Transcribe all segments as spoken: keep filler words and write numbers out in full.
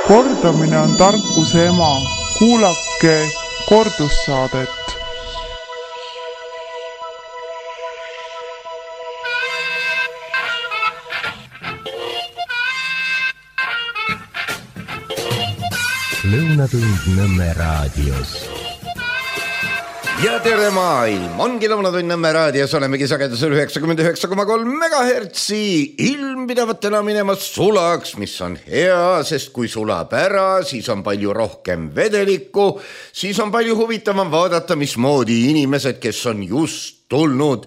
Kordamine on tarkuse ema. Kuulake kordussaadet. Lõunatund Nõmme raadios. Ja tere maailm, ongi Lõunatund Nõmme raadios, olemegi sagedusel üheksakümmend üheksa koma kolm megahertsi, ilm pidavat täna minema sulaks, mis on hea, sest kui sulab ära, siis on palju rohkem vedelikku, siis on palju huvitavam vaadata, mismoodi inimesed, kes on just tulnud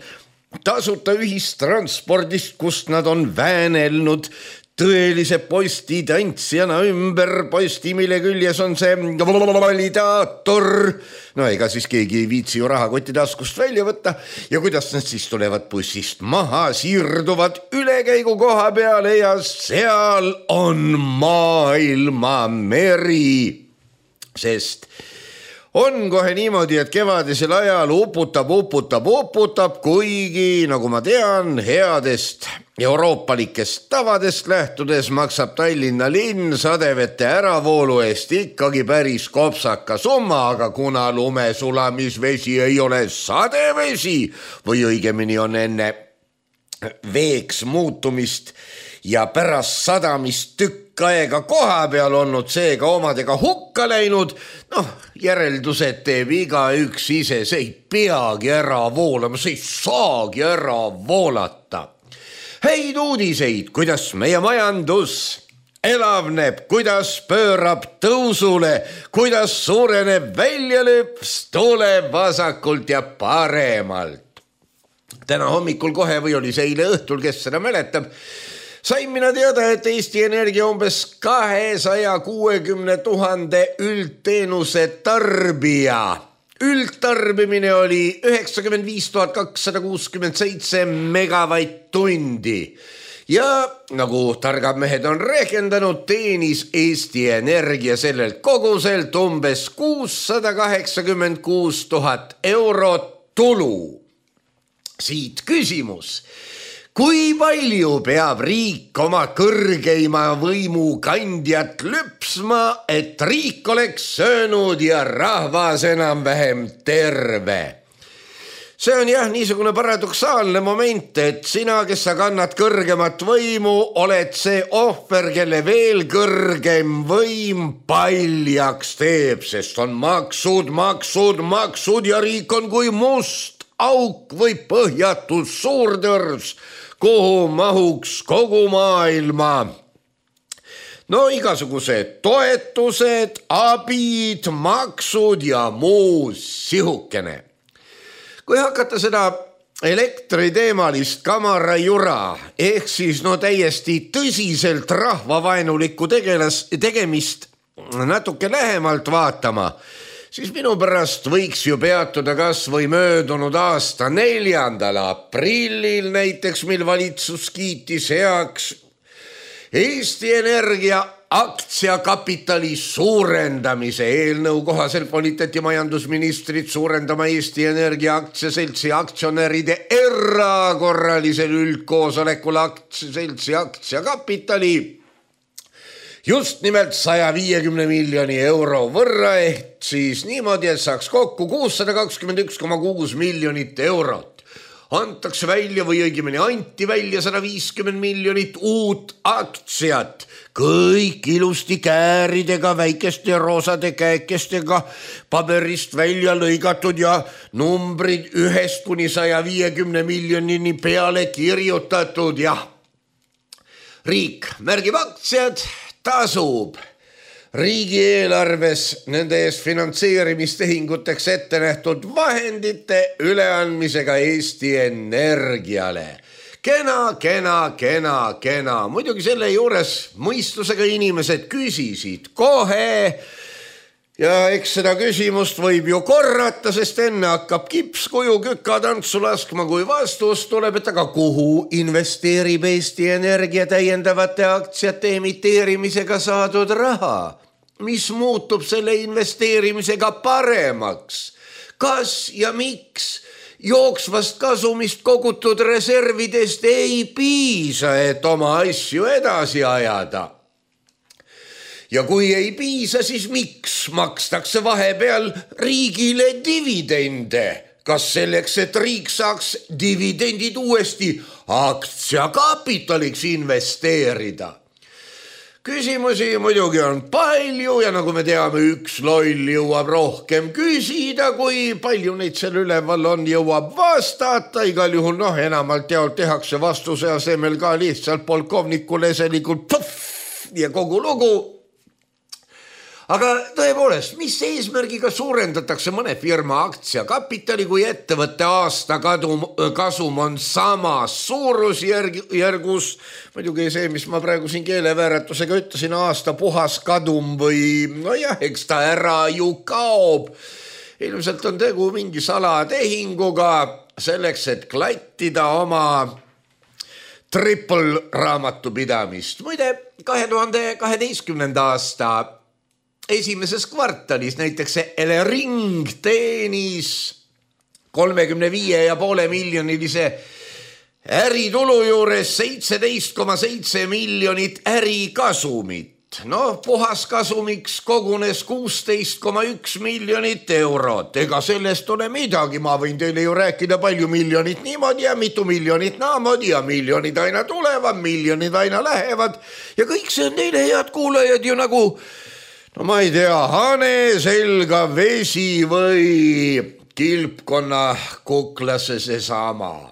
tasuta ühistranspordist, kust nad on väänelnud tõelise postitantsijana ümber posti, mille küljes on see validaator. No ega siis keegi ei viitsi ju rahakotti taskust välja võtta. Ja kuidas nad siis tulevad bussist maha, siirduvad ülekäigu koha peale ja seal on maailma meri. Sest on kohe niimoodi, et kevadisel ajal uputab, uputab, uputab, kuigi, nagu ma tean, headest euroopalikest tavadest lähtudes maksab Tallinna linn sadevete äravoolu eest ikkagi päris kopsaka summa, aga kuna lumesulamisvesi ei ole sadevesi või õigemini on enne veeks muutumist ja pärast sadamist tükk aega koha peal olnud, seega omadega hukka läinud, noh, järeldused teeb iga üks ise, see ei peagi ära voolama, see ei saagi ära voolata. Häid uudiseid, kuidas meie majandus elavneb, kuidas pöörab tõusule, kuidas suureneb väljalõps, tuleb vasakult ja paremalt. Täna hommikul kohe või oli see eile õhtul, kes seda mäletab, sain mina teada, et Eesti Energia umbes kahesaja kuuekümne tuhande üldteenuse tarbija. Üldtarbimine oli üheksakümmend viis tuhat kakssada kuuskümmend seitse megavatt-tundi ja nagu targad mehed on rehkendanud, teenis Eesti Energia sellelt koguselt umbes kuussada kaheksakümmend kuus tuhat eurot tulu. Siit küsimus. Kui palju peab riik oma kõrgeima võimu kandjat lüpsma, et riik oleks söönud ja rahvas enam vähem terve? See on jah niisugune paradoksaalne moment, et sina, kes sa kannad kõrgemat võimu, oled see ohver, kelle veel kõrgem võim paljaks teeb, sest on maksud, maksud, maksud ja riik on kui must auk või põhjatus suurtõrs, kuhu mahuks kogu maailma. No igasugused toetused, abid, maksud ja muu sihukene. Kui hakata seda elektriteemalist kamarajura, ehk siis no täiesti tõsiselt rahvavaenulikku tegelas, tegemist natuke lähemalt vaatama, siis minu pärast võiks ju peatuda kas või möödunud aasta neljandal aprillil näiteks, mil valitsus kiitis heaks Eesti Energia aktsiakapitali suurendamise eelnõu kohaselt volitati majandusministrit suurendama Eesti Energia aktsiaseltsi aktsionäride erakorralisel üldkoosolekul aktsiaseltsi aktsiakapitali just nimelt saja viiekümne miljoni euro võrra, ehk siis niimoodi, et saaks kokku kuussada kakskümmend üks koma kuus miljonit eurot. Antakse välja või õigemini anti välja sada viiskümmend miljonit uut aktsiat, kõik ilusti kääridega, väikeste roosade käekestega, paberist välja lõigatud ja numbrid ühest kuni saja viiekümne miljonini peale kirjutatud. Jah, riik märgib aktsiad, tasub riigieelarves nende ees finantseerimistehinguteks ette nähtud vahendite üleandmisega Eesti Energiale. Kena, kena, kena, kena. Muidugi selle juures mõistusega inimesed küsisid kohe ja eks seda küsimust võib ju korrata, sest enne hakkab kipskuju kükatantsu laskma, kui vastus tuleb, et aga kuhu investeerib Eesti Energia täiendavate aktsiate emiteerimisega saadud raha? Mis muutub selle investeerimisega paremaks? Kas ja miks jooksvast kasumist kogutud reservidest ei piisa, et oma asju edasi ajada? Ja kui ei piisa, siis miks makstakse vahepeal riigile dividende? Kas selleks, et riik saaks dividendid uuesti aktsiakapitaliks investeerida? Küsimusi muidugi on palju ja nagu me teame, üks loll jõuab rohkem küsida, kui palju neid seal üleval on, jõuab vastata. Igal juhul noh, enamalt jaolt tehakse vastuse asemel ka lihtsalt polkovnikule eselikult puff ja kogu lugu. Aga tõepoolest, mis eesmärgiga suurendatakse mõne firma aktsiakapitali, kui ettevõtte aasta kadum, kasum on samas suurusjärgus, muidugi see, mis ma praegu siin keelevääratusega ütlesin, aasta puhas kadum või no jah, eks ta ära ju kaob. Ilmselt on tegu mingi salatehinguga selleks, et klattida oma triple raamatupidamist. Muide, kahe tuhande kaheteistkümnenda aasta esimeses kvartalis näiteks Elering teenis kolmekümne viie ja poole miljonilise äritulu juures seitseteist koma seitse miljonit ärikasumit. No puhas kasumiks kogunes kuusteist koma üks miljonit eurot. Ega sellest ole midagi, ma võin teile ju rääkida palju miljonit niimoodi ja mitu miljonit naamoodi ja miljonid aina tulevad, miljonid aina lähevad ja kõik see on teile head kuulajad ju nagu no ma ei tea, hane selga vesi või kilpkonna kuklasse seesama.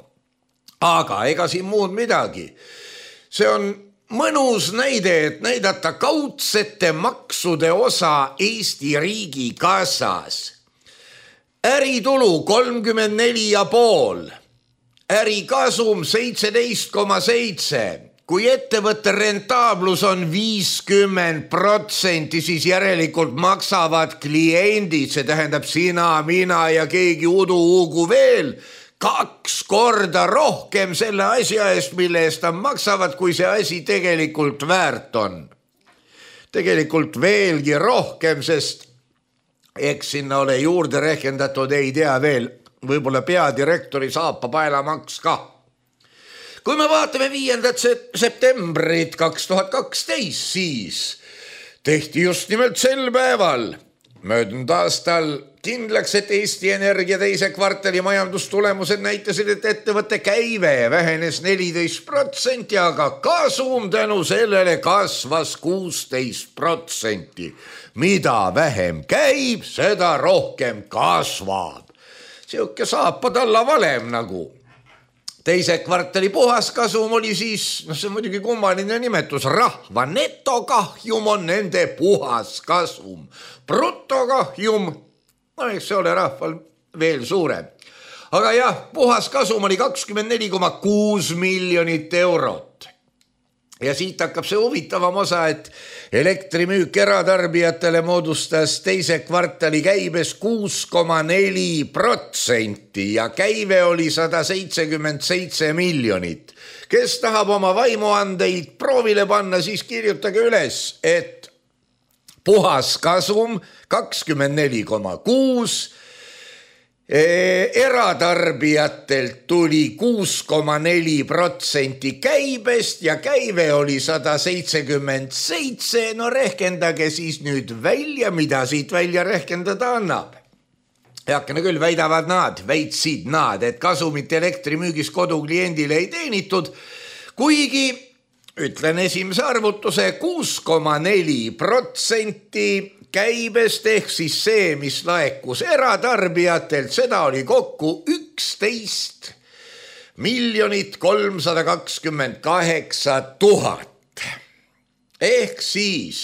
Aga ega siin muud midagi. See on mõnus näide, et näidata kaudsete maksude osa Eesti riigi kassas. Äritulu kolmkümmend neli ja pool, ärikasum seitseteist koma seitse. Kui ettevõtte rentaablus on viiskümmend protsenti, siis järelikult maksavad kliendid, see tähendab sina, mina ja keegi udu-ugu veel, kaks korda rohkem selle asja eest, mille eest nad maksavad, kui see asi tegelikult väärt on. Tegelikult veelgi rohkem, sest eks sinna ole juurde rehkendatud, ei tea veel, võib-olla peadirektori saapa paelamaks ka. Kui me vaatame viiendat septembrit kaks tuhat kaksteist, siis tehti just nimelt sel päeval möödunud aastal kindlaks, et Eesti Energia teise kvartali majandustulemused näitasid, et ettevõtte käive vähenes neliteist protsenti, aga kasum tänu sellele kasvas kuusteist protsenti. Mida vähem käib, seda rohkem kasvab. Siuke saapad alla valem nagu. Teise kvartali puhaskasum oli siis, no see on muidugi kummaline nimetus, rahva netokahjum on nende puhaskasum. Brutokahjum, no eks see ole rahval veel suurem. Aga jah, puhaskasum oli kakskümmend neli koma kuus miljonit eurot. Ja siit hakkab see huvitavam osa, et elektrimüük eratarbijatele moodustas teise kvartali käibes kuus koma neli protsenti ja käive oli sada seitsekümmend seitse miljonit. Kes tahab oma vaimuandeid proovile panna, siis kirjutage üles, et puhaskasum kakskümmend neli koma kuus, eratarbijatelt tuli kuus koma neli protsenti käibest ja käive oli sada seitsekümmend seitse. No rehkendage siis nüüd välja, mida siit välja rehkendada annab. Heakene küll väidavad nad, väitsid nad, et kasumit elektrimüügis kodukliendile ei teenitud, kuigi ütlen esimese arvutuse kuus koma neli protsenti käibest ehk siis see, mis laekus eratarbijatelt, seda oli kokku üksteist miljonit kolmsada kakskümmend kaheksa tuhat. Ehk siis,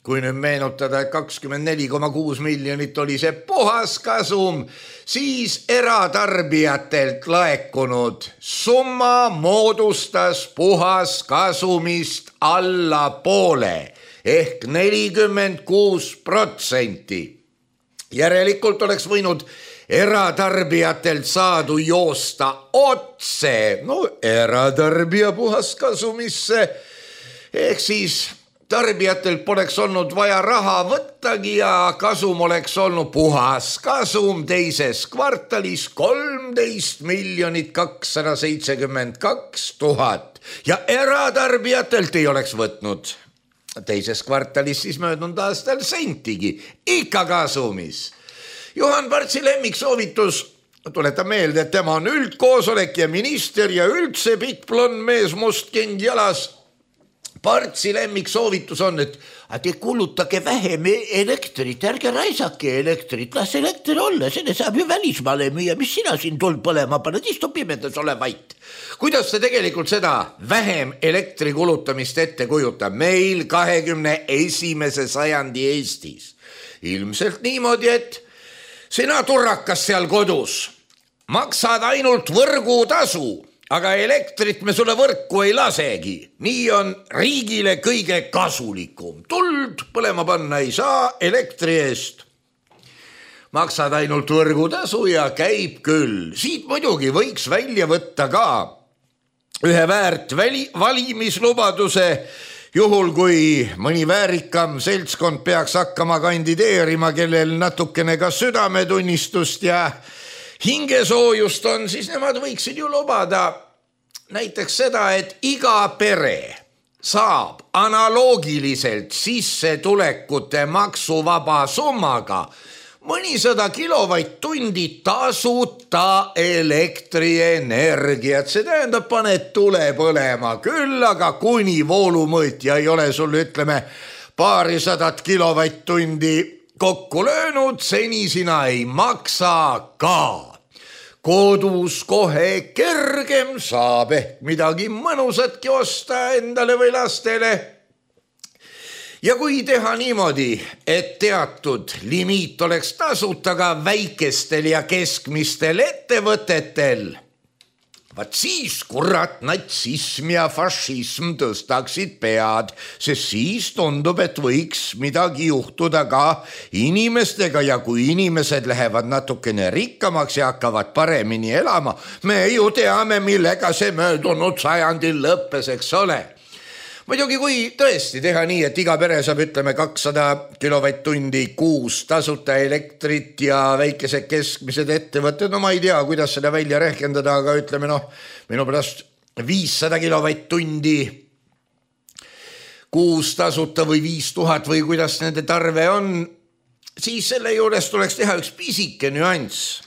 kui nüüd meenutada, et kakskümmend neli koma kuus miljonit oli see puhaskasum, siis eratarbijatelt laekunud summa moodustas puhaskasumist alla poole ehk nelikümmend kuus protsenti. Järelikult oleks võinud eratarbijatelt saadu joosta otse, no eratarbija puhaskasumisse, ehk siis tarbijatelt poleks olnud vaja raha võttagi ja kasum oleks olnud puhaskasum teises kvartalis kolmteist miljonit kakssada seitsekümmend kaks tuhat ja eratarbijatelt ei oleks võtnud teises kvartalis siis möödunud aastal sentigi, ikka kasumis. Juhan Partsi lemmiksoovitus, tuletan meelde, et tema on üldkoosolek ja minister ja üldse pikk blond mees must king jalas. Partsi lemmiksoovitus on, et te kulutage vähem elektrit, ärge raisake elektrit, las elekter olla, selle saab ju välismaale müüa, mis sina siin tuld põlema paned, istu pimedas ole vait. Kuidas te tegelikult seda vähem elektri kulutamist ette kujutab meil kahekümne esimese sajandi Eestis? Ilmselt niimoodi, et sina turrakas seal kodus maksad ainult võrgutasu, aga elektrit me sulle võrku ei lasegi. Nii on riigile kõige kasulikum. Tuld põlema panna ei saa elektri eest. Maksad ainult võrgutasu ja käib küll. Siit muidugi võiks välja võtta ka ühe väärt väli, valimislubaduse, juhul kui mõni väärikam seltskond peaks hakkama kandideerima, kellel natukene ka südametunnistust ja hingesoojust on, siis nemad võiksid ju lubada näiteks seda, et iga pere saab analoogiliselt sissetulekute maksuvaba summaga mõnisada kilovatt-tundi tasuta elektrienergiat. See tähendab, paned tule põlema küll, aga kuni voolumõõtja ei ole sul, ütleme, paarisadat kilovatt-tundi kokku löönud, seni sina ei maksa ka. Kodus kohe kergem saab ehk midagi mõnusatki osta endale või lastele. Ja kui teha niimoodi, et teatud limiit oleks tasuta ka väikestel ja keskmistel ettevõtetel, vaat siis kurat natsism ja fašism tõstaksid pead, sest siis tundub, et võiks midagi juhtuda ka inimestega ja kui inimesed lähevad natukene rikkamaks ja hakkavad paremini elama, me ju teame, millega see möödunud sajandil lõppes, eks ole. Muidugi kui tõesti teha nii, et iga pere saab, ütleme, kakssada kilovatt-tundi kuus tasuta elektrit ja väikesed keskmised ettevõtted, no ma ei tea, kuidas seda välja rehkendada, aga ütleme, noh, minu pärast viissada kilovatt-tundi kuus tasuta või viis tuhat või kuidas nende tarve on, siis selle juures tuleks teha üks pisike nüanss.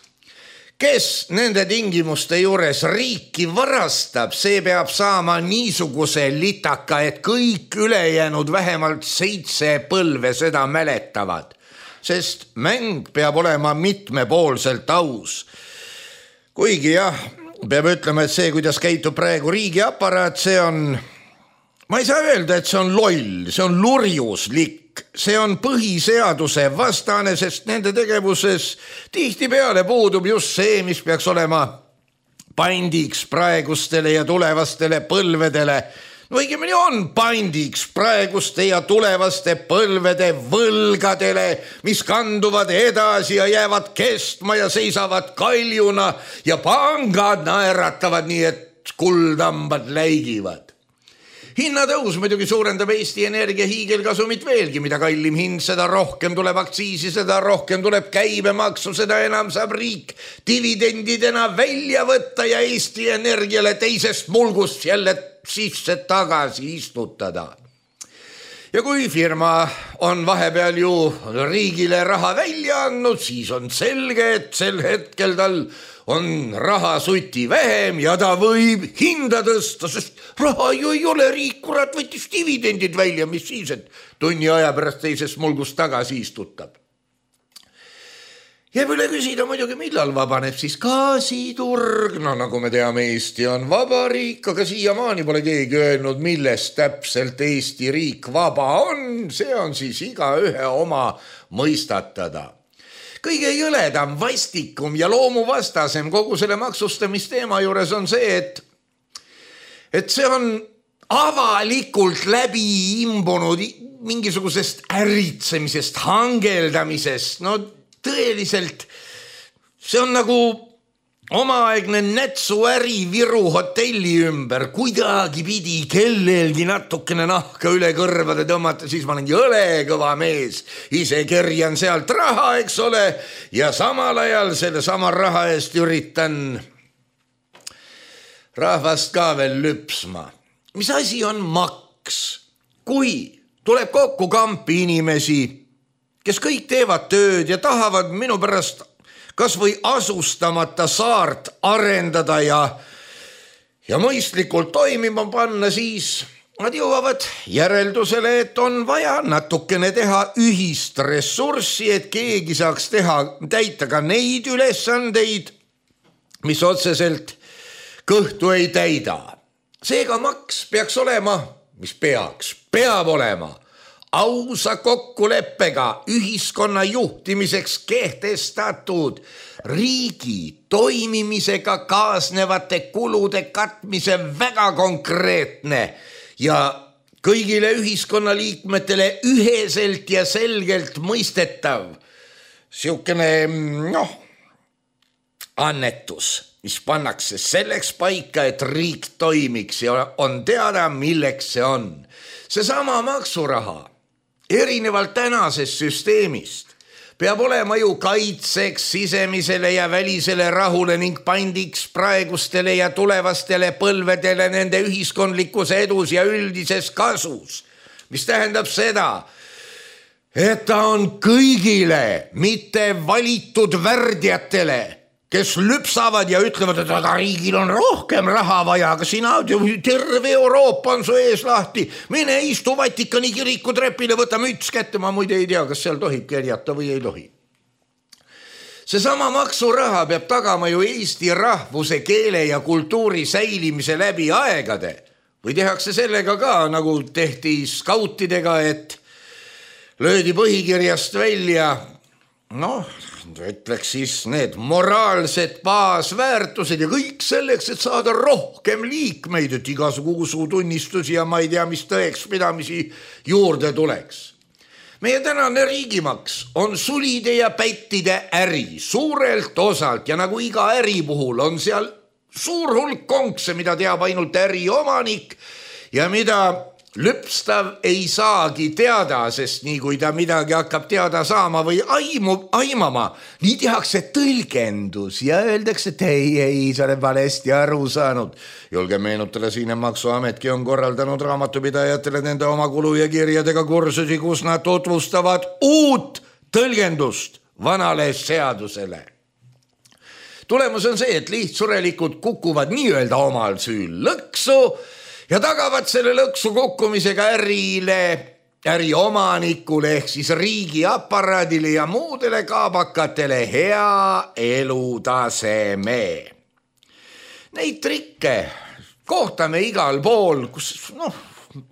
Kes nende tingimuste juures riiki varastab, see peab saama niisuguse litaka, et kõik ülejäänud vähemalt seitse põlve seda mäletavad. Sest mäng peab olema mitmepoolselt aus. Kuigi jah, peab ütlema, et see, kuidas käitub praegu riigiaparaat, see on, ma ei saa öelda, et see on loll, see on lurjuslik. See on põhiseaduse vastane, sest nende tegevuses tihtipeale puudub just see, mis peaks olema pandiks praegustele ja tulevastele põlvedele. No õigemini on pandiks praeguste ja tulevaste põlvede võlgadele, mis kanduvad edasi ja jäävad kestma ja seisavad kaljuna ja pangad naeratavad nii, et kuldambad läigivad. Hinnatõus muidugi suurendab Eesti Energia hiigelkasumit veelgi, mida kallim hind, seda rohkem tuleb aktsiisi, seda rohkem tuleb käibemaksu, seda enam saab riik dividendidena välja võtta ja Eesti Energiale teisest mulgust jälle sisse tagasi istutada. Ja kui firma on vahepeal ju riigile raha välja andnud, siis on selge, et sel hetkel tal on raha suti vähem ja ta võib hinda tõsta, sest raha ju ei ole, riik kurat võttis dividendid välja, mis siis, et tunni aja pärast teisest mulgust tagasi istutab. Jääb üle küsida muidugi, millal vabaneb siis gaasiturg. No nagu me teame, Eesti on vaba riik, aga siiamaani pole keegi öelnud, millest täpselt Eesti riik vaba on. See on siis iga ühe oma mõistatada. Kõige jõledam, vastikum ja loomuvastasem kogu selle maksustamisteema juures on see, et, et see on avalikult läbi imbunud mingisugusest äritsemisest, hangeldamisest. No tõeliselt, see on nagu omaaegne nätsuäri Viru hotelli ümber, kuidagi pidi kellelgi natukene nahka üle kõrvade tõmmata, siis ma olen jõle kõva mees, ise kerjan sealt raha, eks ole, ja samal ajal selle sama raha eest üritan rahvast ka veel lüpsma. Mis asi on maks? Kui tuleb kokku kampi inimesi, kes kõik teevad tööd ja tahavad minu pärast kas või asustamata saart arendada ja, ja mõistlikult toimima panna, siis nad jõuavad järeldusele, et on vaja natukene teha ühist ressurssi, et keegi saaks teha, täita ka neid ülesandeid, mis otseselt kõhtu ei täida. Seega maks peaks olema, mis peaks, peab olema ausa kokkuleppega ühiskonna juhtimiseks kehtestatud riigi toimimisega kaasnevate kulude katmise väga konkreetne ja kõigile ühiskonnaliikmetele üheselt ja selgelt mõistetav siukene, noh, annetus, mis pannakse selleks paika, et riik toimiks ja on teada, milleks see on. Seesama maksuraha, erinevalt tänasest süsteemist, peab olema ju kaitseks sisemisele ja välisele rahule ning pandiks praegustele ja tulevastele põlvedele nende ühiskondlikus edus ja üldises kasus, mis tähendab seda, et ta on kõigile, mitte valitud värdjatele, kes lüpsavad ja ütlevad, et aga riigil on rohkem raha vaja, aga sina, terve Euroopa on su ees lahti, mine istu Vatikani kiriku trepile, võta müts kätte, ma muide ei tea, kas seal tohib kerjata või ei tohi. Seesama maksuraha peab tagama ju Eesti rahvuse, keele ja kultuuri säilimise läbi aegade või tehakse sellega ka, nagu tehti skautidega, et löödi põhikirjast välja, noh, ütleks siis need moraalsed baasväärtused ja kõik selleks, et saada rohkem liikmeid, et igasugu usutunnistusi ja ma ei tea, mis tõekspidamisi juurde tuleks. Meie tänane riigimaks on sulide ja pättide äri suurelt osalt ja nagu iga äri puhul on seal suur hulk konkse, mida teab ainult äri omanik ja mida lüpstav ei saagi teada, sest nii kui ta midagi hakkab teada saama või aimu, aimama, nii tehakse tõlgendus ja öeldakse, et ei, ei, sa oled valesti aru saanud. Julge meenutada siin, et Maksuametki on korraldanud raamatupidajatele nende oma kulu ja kirjadega kursusi, kus nad tutvustavad uut tõlgendust vanale seadusele. Tulemus on see, et lihtsurelikud kukuvad nii-öelda omal süül lõksu ja tagavad selle lõksu kukkumisega ärile, äri omanikule ehk siis riigi aparaadile ja muudele kaabakatele hea elutaseme. Neid trikke kohtame igal pool, kus noh,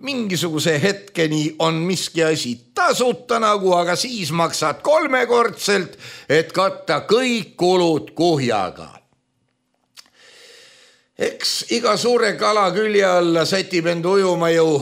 mingisuguse hetkeni on miski asi tasuta nagu, aga siis maksad kolmekordselt, et katta kõik kulud kuhjaga. Eks iga suure kala külje alla sätib end ujuma ju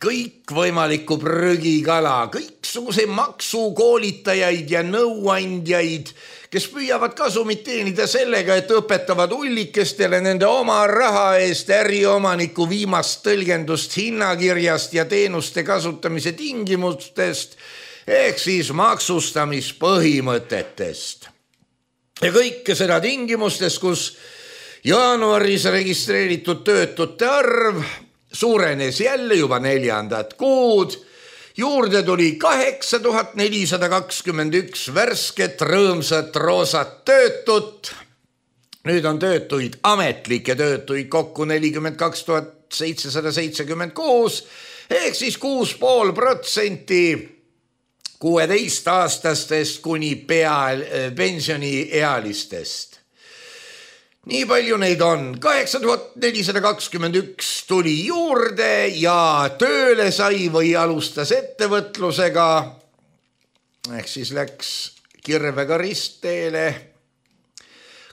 kõik võimalikku prügikala, kõiksuguse maksukoolitajaid ja nõuandjaid, kes püüavad kasumit teenida sellega, et õpetavad ullikestele nende oma raha eest äriomaniku viimast tõlgendust hinnakirjast ja teenuste kasutamise tingimustest ehk siis maksustamispõhimõtetest. Ja kõike seda tingimustes, kus jaanuaris registreeritud töötute arv suurenes jälle juba neljandat kuud, juurde tuli kaheksa tuhat nelisada kakskümmend üks värsket rõõmsat roosat töötut. Nüüd on töötuid, ametlikke töötuid kokku nelikümmend kaks tuhat seitsesada seitsekümmend kuus ehk siis kuus pool protsenti kuueteistaastastest kuni pea pensioniealistest. Nii palju neid on. kaheksa tuhat nelisada kakskümmend üks tuli juurde ja tööle sai või alustas ettevõtlusega ehk siis läks kirvega ristteele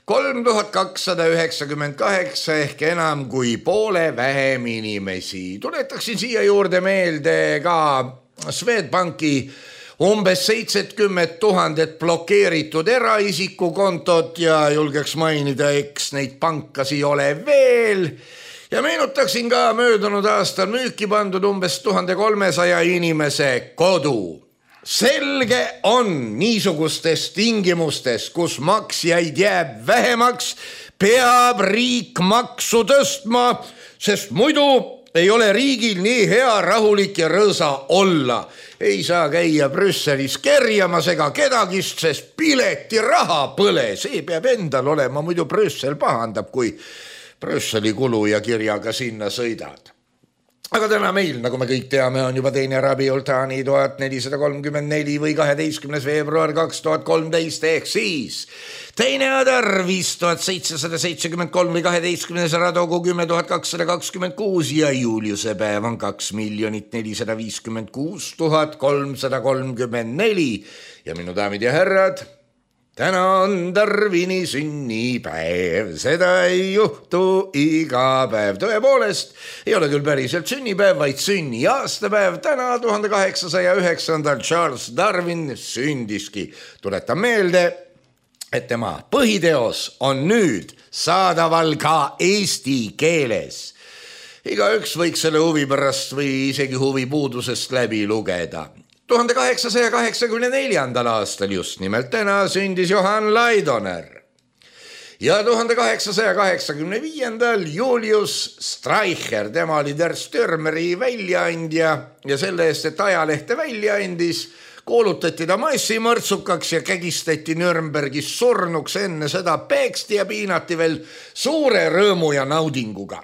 kolm tuhat kakssada üheksakümmend kaheksa ehk enam kui poole vähem inimesi. Tuletaksin siia juurde meelde ka Swedbanki umbes seitsekümmend tuhandet blokeeritud eraisiku kontot ja julgeks mainida, eks neid pankasi ole veel. Ja meenutaksin ka möödunud aastal müüki pandud umbes tuhat kolmesaja inimese kodu. Selge on niisugustes tingimustes, kus maksjaid jääb vähemaks, peab riik maksu tõstma, sest muidu ei ole riigil nii hea, rahulik ja rõõsa olla. Ei saa käia Brüsselis kerjamas ega kedagist, sest piletiraha põle. See peab endal olema, muidu Brüssel pahandab, kui Brüsseli kulu ja kirjaga sinna sõidad. Aga täna meil, nagu me kõik teame, on juba teine Rabiul Thani tuhat nelisada kolmkümmend neli või kaheteistkümnes veebruar kaks tuhat kolmteist ehk siis teine Adar viis tuhat seitsesada seitsekümmend kolm või kaheteistkümnes Radogu kümme tuhat kakssada kakskümmend kuus ja Juliuse päev on kaks miljonit nelisada viiskümmend kuus tuhat kolmsada kolmkümmend neli ja minu daamid ja härrad, täna on Darwini sünnipäev, seda ei juhtu iga päev. Tõepoolest, ei ole küll päriselt sünnipäev, vaid sünni aastapäev. Täna tuhande kaheksasaja üheksandal Charles Darwin sündiski. Tuletan meelde, et tema põhiteos on nüüd saadaval ka eesti keeles. Igaüks võiks selle huvi pärast või isegi huvi puudusest läbi lugeda. tuhande kaheksasaja kaheksakümne neljandal aastal just nimelt täna sündis Johann Laidoner ja tuhande kaheksasaja kaheksakümne viiendal Julius Streicher, tema oli Der Stürmeri väljaandja ja selle eest, et ajalehte välja andis, kuulutati ta massimõrtsukaks ja kägistati Nürnbergis surnuks, enne seda peeksti ja piinati veel suure rõõmu ja naudinguga.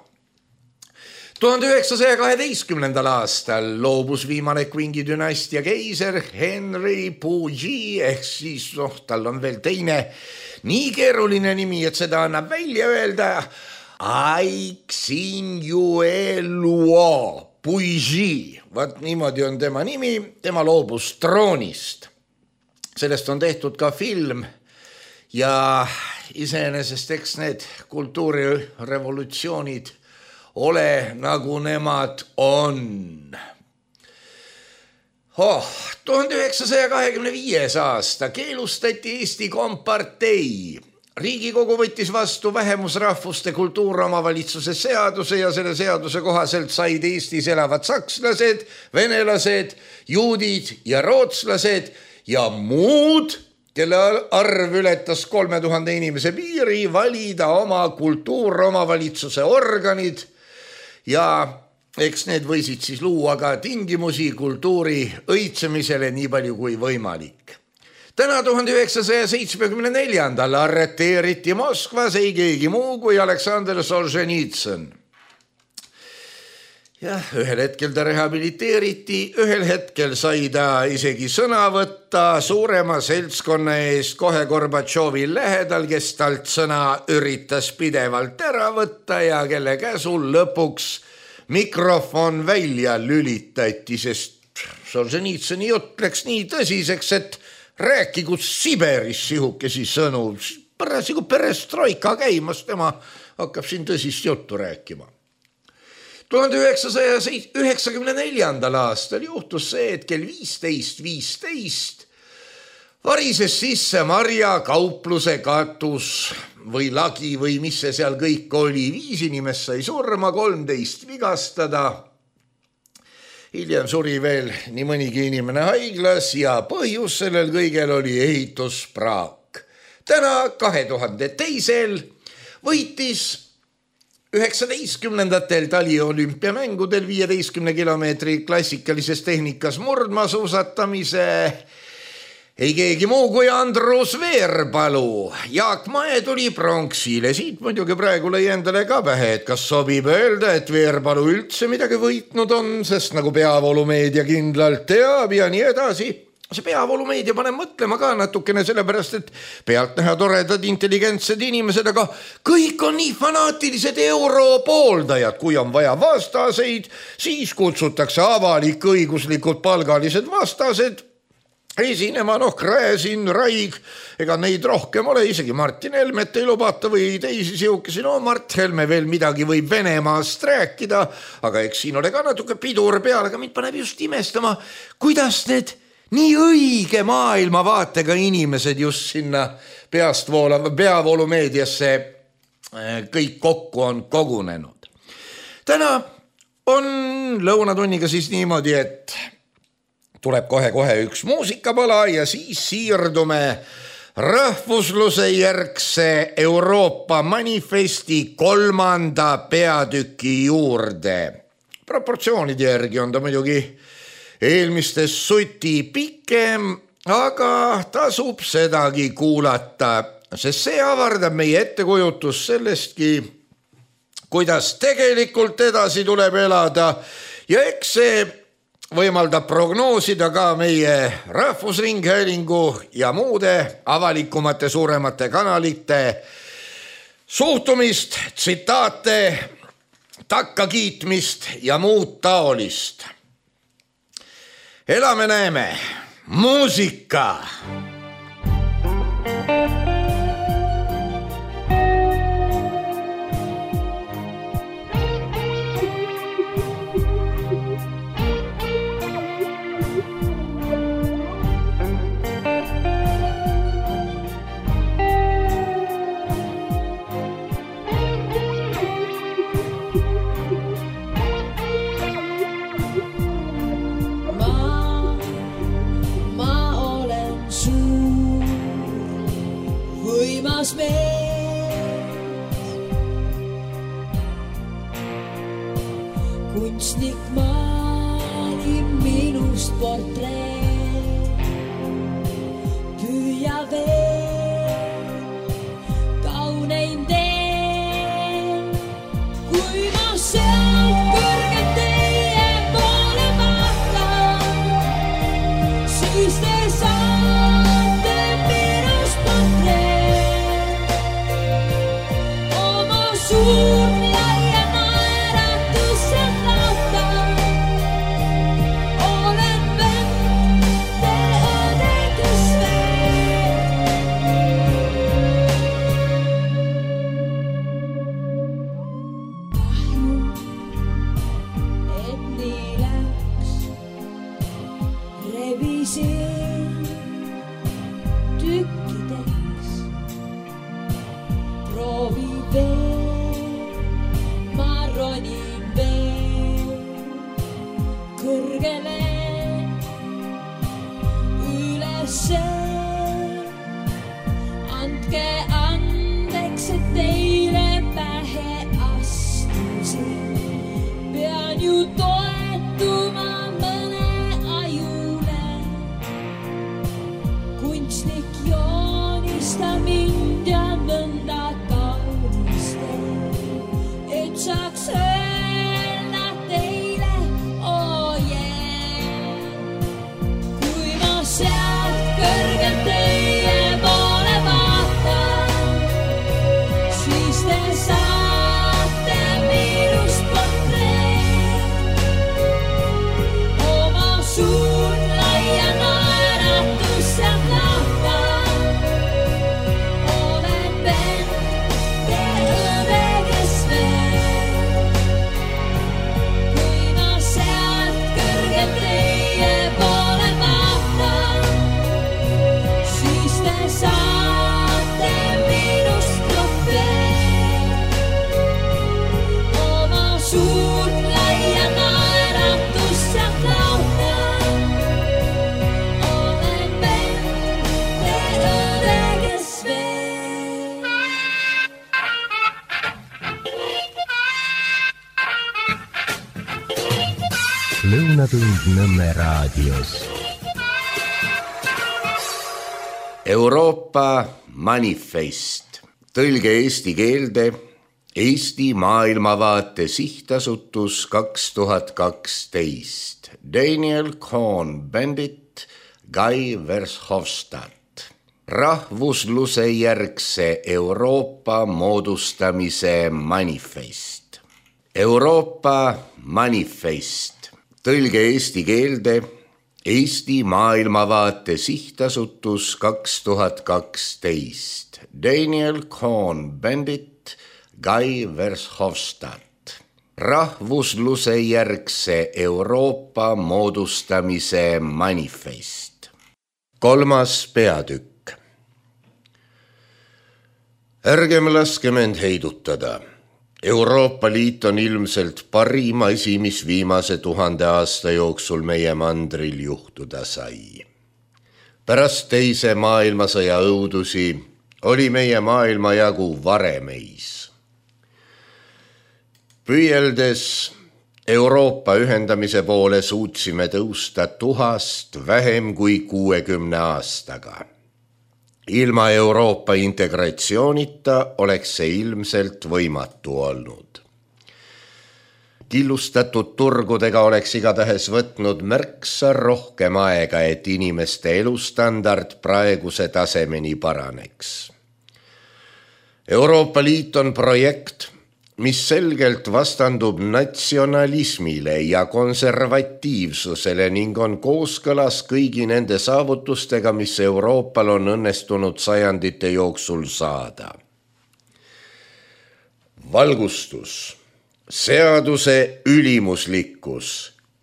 tuhande üheksasaja kaheteistkümnendal aastal loobus viimane Qingi dünastia keiser Henry Puyi, ehk siis noh, tal on veel teine nii keeruline nimi, et seda annab välja öelda Aixinjueluo Puyi. Vaat niimoodi on tema nimi, tema loobus troonist. Sellest on tehtud ka film ja iseenesest eks need kultuurirevolutsioonid ole nagu nemad on. Oh, tuhande üheksasaja kahekümne viies aasta keelustati Eesti Kompartei. Riigikogu võttis vastu vähemusrahvuste kultuuromavalitsuse seaduse ja selle seaduse kohaselt said Eestis elavad sakslased, venelased, juudid ja rootslased ja muud, kelle arv ületas kolme tuhande inimese piiri, valida oma kultuuromavalitsuse organid. Ja eks need võisid siis luua ka tingimusi kultuuri õitsemisele nii palju kui võimalik. Täna tuhande üheksasaja seitsmekümne neljandal arreteeriti Moskvas ei keegi muu kui Aleksandr Solženitsõn. Jah, ühel hetkel ta rehabiliteeriti, ühel hetkel sai ta isegi sõna võtta suurema seltskonna eest kohe Gorbatšovi lähedal, kes talt sõna üritas pidevalt ära võtta ja kelle käsul lõpuks mikrofon välja lülitati, sest Solženitsõni jutt läks nii tõsiseks, et rääkigu Siberis sihukesi sõnu. Parasigu perestroika käimas, tema hakkab siin tõsist juttu rääkima. tuhande üheksasaja üheksakümne neljandal aastal juhtus see, et kell viisteist viisteist varises sisse Marja kaupluse katus või lagi või mis see seal kõik oli. Viis inimest sai surma, kolmteist vigastada. Hiljem suri veel nii mõnigi inimene haiglas ja põhjus sellel kõigel oli ehituspraak. Täna kahe tuhande teisel võitis üheksateistkümnendatel taliolümpiamängudel viieteistkümne kilomeetri klassikalises tehnikas murdmaasuusatamise ei keegi muu kui Andrus Veerpalu. Jaak Mae tuli pronksile. Siit muidugi praegu lõi endale ka pähe, et kas sobib öelda, et Veerpalu üldse midagi võitnud on, sest nagu peavoolumeedia kindlalt teab ja nii edasi. See peavoolumeedia paneb mõtlema ka natukene sellepärast, et pealt näha toredad intelligentsed inimesed, aga kõik on nii fanaatilised europooldajad. Kui on vaja vastaseid, siis kutsutakse avalik õiguslikud palgalised vastased esinema, noh, Gräzin, Raig, ega neid rohkem ole, isegi Martin Helmet ei lubata või teisi sihukesi, no Mart Helme veel midagi võib Venemaast rääkida, aga eks siin ole ka natuke pidur peal, aga mind paneb just imestama, kuidas need nii õige maailmavaatega inimesed just sinna peast voolava peavoolumeediasse kõik kokku on kogunenud. Täna on lõunatunniga siis niimoodi, et tuleb kohe-kohe üks muusikapala ja siis siirdume rahvusluse järgse Euroopa manifesti kolmanda peatüki juurde. proportsioonide järgi on ta muidugi eelmistest suti pikem, aga tasub sedagi kuulata, sest see avardab meie ettekujutus sellestki, kuidas tegelikult edasi tuleb elada ja eks see võimaldab prognoosida ka meie Rahvusringhäälingu ja muude avalikumate suuremate kanalite suhtumist, tsitaate, takkakiitmist ja muud taolist. Elame näeme, muusika! Kunstnik maali minust portreet, püüa veel kauneim teen, kui ma sealt kõrgelt teie poole vaatan, siis te saate minust portreet, oma suur Lõunatund Nõmme raadios. Euroopa manifest. Tõlge eesti keelde Eesti maailmavaate sihtasutus kaks tuhat kaksteist. Daniel Cohn-Bendit, Guy Verhofstadt. Rahvusluse järgse Euroopa moodustamise manifest. Euroopa manifest. Tõlge eesti keelde Eesti maailmavaate sihtasutus kaks tuhat kaksteist. Daniel Cohn-Bendit, Guy Verhofstadt. Rahvusluse järgse Euroopa moodustamise manifest. Kolmas peatükk. Ärgem laskem end heidutada. Euroopa Liit on ilmselt parim asi, mis viimase tuhande aasta jooksul meie mandril juhtuda sai. Pärast teise maailmasõja õudusi oli meie maailma jagu varemeis. Püüeldes Euroopa ühendamise poole suutsime tõusta tuhast vähem kui kuuekümne aastaga. Ilma Euroopa integratsioonita oleks see ilmselt võimatu olnud. Killustatud turgudega oleks igatahes võtnud märksa rohkem aega, et inimeste elustandard praeguse tasemeni paraneks. Euroopa Liit on projekt, mis selgelt vastandub natsionalismile ja konservatiivsusele ning on kooskõlas kõigi nende saavutustega, mis Euroopal on õnnestunud sajandite jooksul saada. Valgustus, seaduse ülimuslikkus,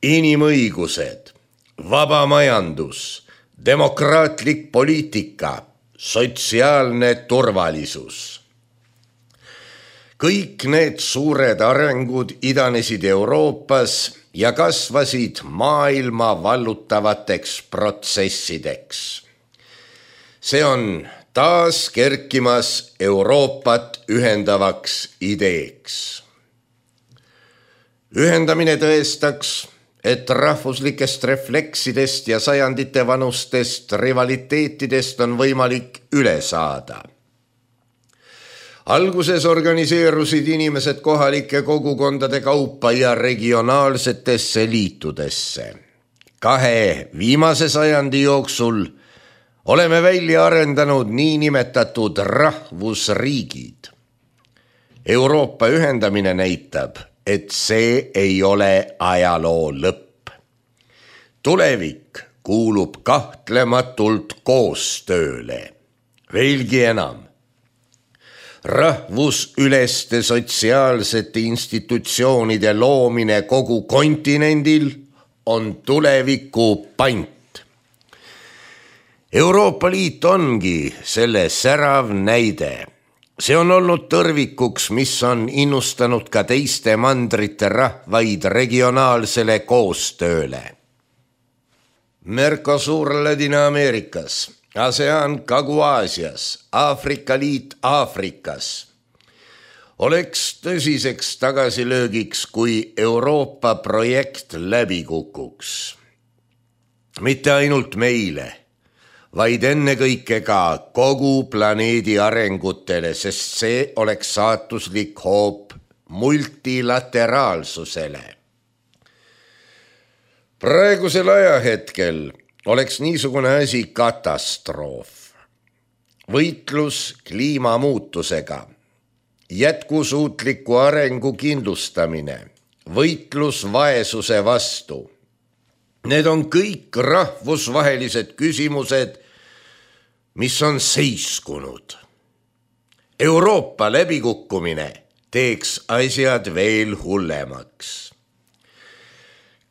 inimõigused, vaba majandus, demokraatlik poliitika, sotsiaalne turvalisus. Kõik need suured arengud idanesid Euroopas ja kasvasid maailma vallutavateks protsessideks. See on taas kerkimas Euroopat ühendavaks ideeks. Ühendamine tõestaks, et rahvuslikest refleksidest ja sajandite vanustest rivaliteetidest on võimalik üle saada. Alguses organiseerusid inimesed kohalike kogukondade kaupa ja regionaalsetesse liitudesse. Kahe viimase sajandi jooksul oleme välja arendanud niinimetatud rahvusriigid. Euroopa ühendamine näitab, et see ei ole ajaloo lõpp. Tulevik kuulub kahtlematult koostööle. Veelgi enam. Rahvusüleste sotsiaalsete institutsioonide loomine kogu kontinendil on tuleviku pant. Euroopa Liit ongi selle särav näide. See on olnud tõrvikuks, mis on innustanud ka teiste mandrite rahvaid regionaalsele koostööle. Mercosur Ladina-Ameerikas, ASEAN Kagu-Aasias, Aafrika Liit Aafrikas oleks tõsiseks tagasilöögiks, kui Euroopa projekt läbi kukuks. Mitte ainult meile, vaid ennekõike ka kogu planeedi arengutele, sest see oleks saatuslik hoop multilateraalsusele. Praegusel ajahetkel oleks niisugune asi katastroof. Võitlus kliimamuutusega, jätkusuutliku arengu kindlustamine, võitlus vaesuse vastu. Need on kõik rahvusvahelised küsimused, mis on seiskunud. Euroopa läbikukkumine teeks asjad veel hullemaks.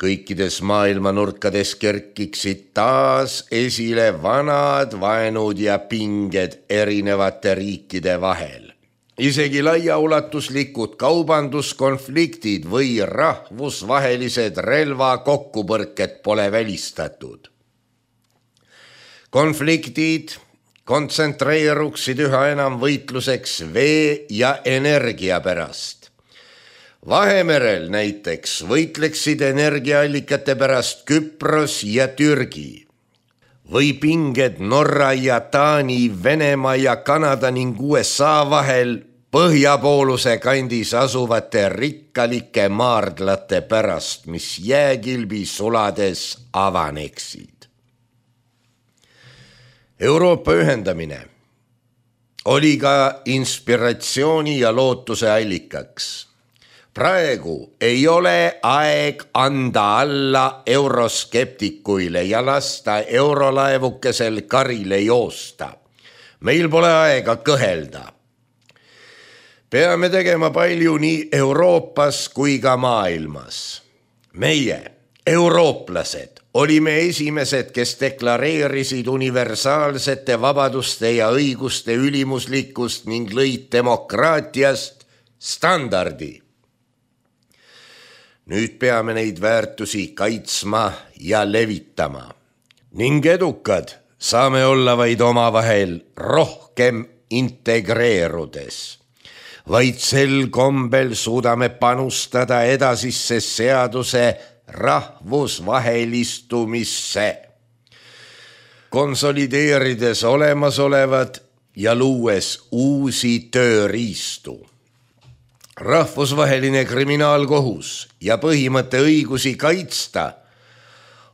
Kõikides maailma nurkades kerkiksid taas esile vanad vaenud ja pinged erinevate riikide vahel. Isegi laiaulatuslikud kaubanduskonfliktid või rahvusvahelised relva kokkupõrked pole välistatud. Konfliktid kontsentreeruksid üha enam võitluseks vee ja energia pärast. Vahemerel näiteks võitleksid energiaallikate pärast Küpros ja Türgi. Või pinged Norra ja Taani, Venemaa ja Kanada ning U S A vahel põhjapooluse kandis asuvate rikkalike maardlate pärast, mis jääkilbi sulades avaneksid. Euroopa ühendamine oli ka inspiratsiooni ja lootuse allikaks. Praegu ei ole aeg anda alla euroskeptikuile ja lasta eurolaevukesel karile joosta. Meil pole aega kõhelda. Peame tegema palju nii Euroopas kui ka maailmas. Meie, eurooplased, olime esimesed, kes deklareerisid universaalsete vabaduste ja õiguste ülimuslikkust ning lõid demokraatiast standardi. Nüüd peame neid väärtusi kaitsma ja levitama. Ning edukad saame olla vaid omavahel rohkem integreerudes. vaid sel kombel suudame panustada edasisse seaduse rahvusvahelistumisse, konsolideerides olemasolevad ja luues uusi tööriistu. Rahvusvaheline kriminaalkohus ja põhimõtte õigusi kaitsta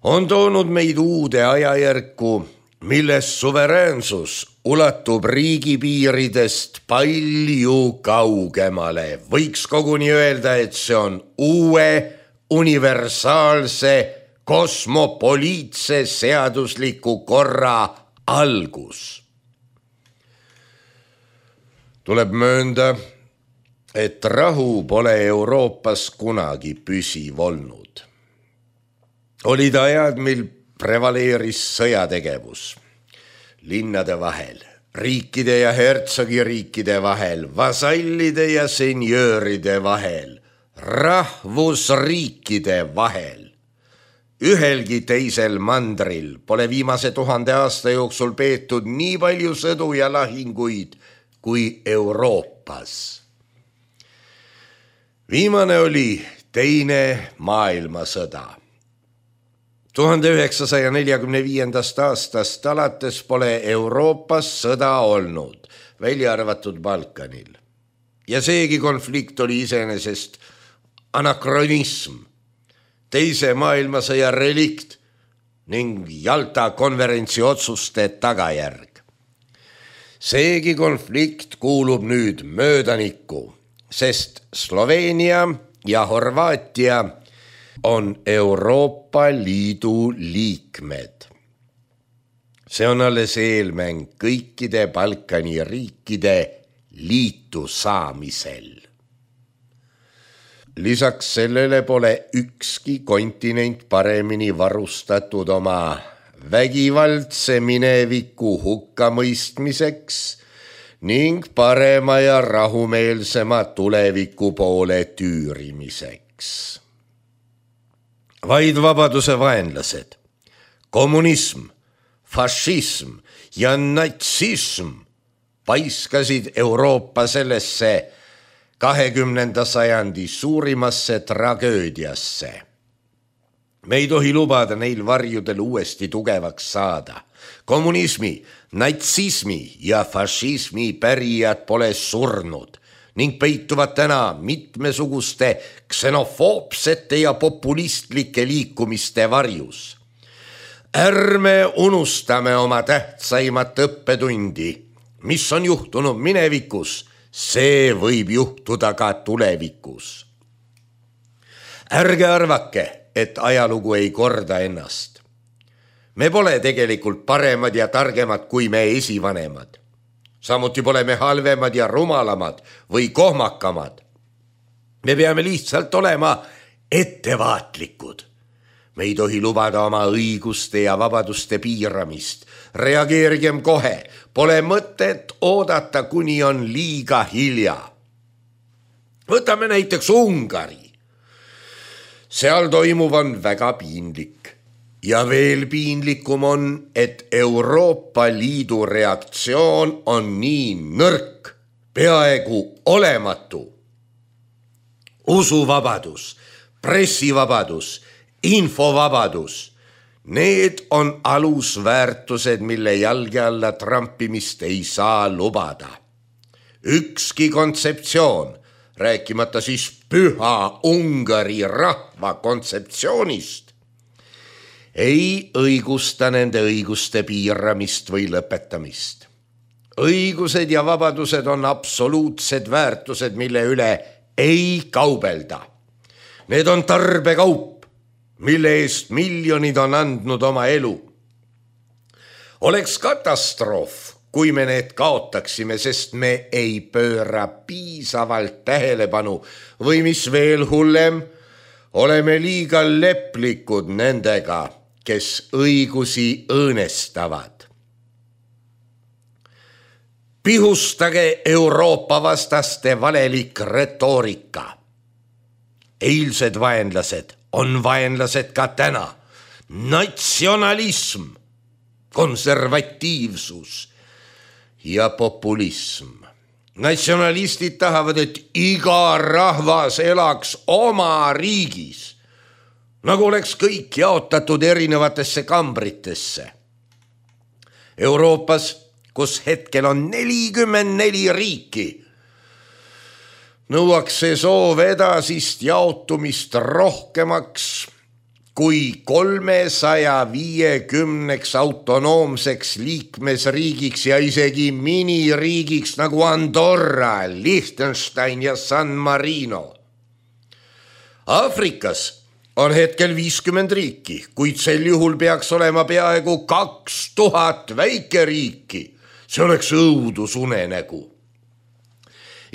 on toonud meid uude ajajärku, milles suveräänsus ulatub riigipiiridest palju kaugemale. Võiks koguni öelda, et see on uue, universaalse, kosmopoliitse seadusliku korra algus. Tuleb möönda, et rahu pole Euroopas kunagi püsiv olnud. Olid ajad, mil prevaleeris sõjategevus linnade vahel, riikide ja hertsogiriikide vahel, vasallide ja senjööride vahel, rahvusriikide vahel. Ühelgi teisel mandril pole viimase tuhande aasta jooksul peetud nii palju sõdu ja lahinguid kui Euroopas. Viimane oli teine maailmasõda. tuhande üheksasaja neljakümne viiendast aastast alates pole Euroopas sõda olnud, välja arvatud Balkanil. Ja seegi konflikt oli iseenesest anakronism, teise maailmasõja relikt ning Jalta konverentsi otsuste tagajärg. Seegi konflikt kuulub nüüd möödanikku, sest Sloveenia ja Horvaatia on Euroopa Liidu liikmed. See on alles eelmäng kõikide Balkani riikide liitu saamisel. Lisaks sellele pole ükski kontinent paremini varustatud oma vägivaldse mineviku hukkamõistmiseks ning parema ja rahumeelsema tuleviku poole tüürimiseks. Vaid vabaduse vaenlased, kommunism, fašism ja natsism paiskasid Euroopa sellesse kahekümnenda sajandi suurimasse tragöödiasse. Me ei tohi lubada neil varjudel uuesti tugevaks saada. Kommunismi, natsismi ja fašismi pärijad pole surnud ning peituvad täna mitmesuguste ksenofoobsete ja populistlike liikumiste varjus. Ärme unustame oma tähtsaimat õppetundi, mis on juhtunud minevikus, see võib juhtuda ka tulevikus. Ärge arvake, et ajalugu ei korda ennast. Me pole tegelikult paremad ja targemad kui me esivanemad. Samuti pole me halvemad ja rumalamad või kohmakamad. Me peame lihtsalt olema ettevaatlikud. Me ei tohi lubada oma õiguste ja vabaduste piiramist. Reageerigem kohe, pole mõtet oodata, kuni on liiga hilja. Võtame näiteks Ungari. Seal toimuv on väga piinlik. Ja veel piinlikum on, et Euroopa Liidu reaktsioon on nii nõrk, peaaegu olematu. Usuvabadus, pressivabadus, infovabadus, need on alusväärtused, mille jalge alla trampimist ei saa lubada. Ükski kontseptsioon, rääkimata siis püha Ungari rahva kontseptsioonist, ei õigusta nende õiguste piiramist või lõpetamist. Õigused ja vabadused on absoluutsed väärtused, mille üle ei kaubelda. Need on tarbekaup, mille eest miljonid on andnud oma elu. Oleks katastroof, kui me need kaotaksime, sest me ei pööra piisavalt tähelepanu või mis veel hullem, oleme liiga leplikud nendega, kes õigusi õõnestavad. Pihustage Euroopa vastaste valelik retoorika. Eilsed vaenlased on vaenlased ka täna. Natsionalism, konservatiivsus ja populism. Natsionalistid tahavad, et iga rahvas elaks oma riigis, nagu oleks kõik jaotatud erinevatesse kambritesse. Euroopas, kus hetkel on nelikümmend neli riiki, nõuaks see soov edasist jaotumist rohkemaks kui kolmesaja viiekümneks autonoomseks liikmesriigiks ja isegi miniriigiks nagu Andorra, Liechtenstein ja San Marino. Aafrikas on hetkel viiskümmend riiki, kuid sel juhul peaks olema peaaegu kaks tuhat väikeriiki. See oleks õudusunenägu.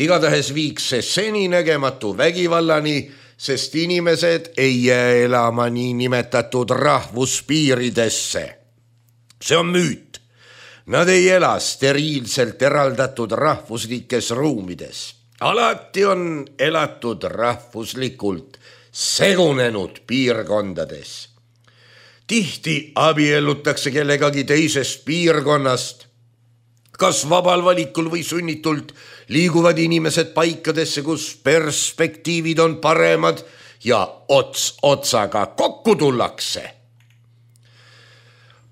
Igatahes viiks see seninägematu vägivallani, sest inimesed ei jää elama nii nimetatud rahvuspiiridesse. See on müüt. Nad ei ela steriilselt eraldatud rahvuslikes ruumides. Alati on elatud rahvuslikult segunenud piirkondades. Tihti abiellutakse kellegagi teisest piirkonnast. Kas vabal valikul või sunnitult liiguvad inimesed paikadesse, kus perspektiivid on paremad ja ots otsaga kokku tullakse.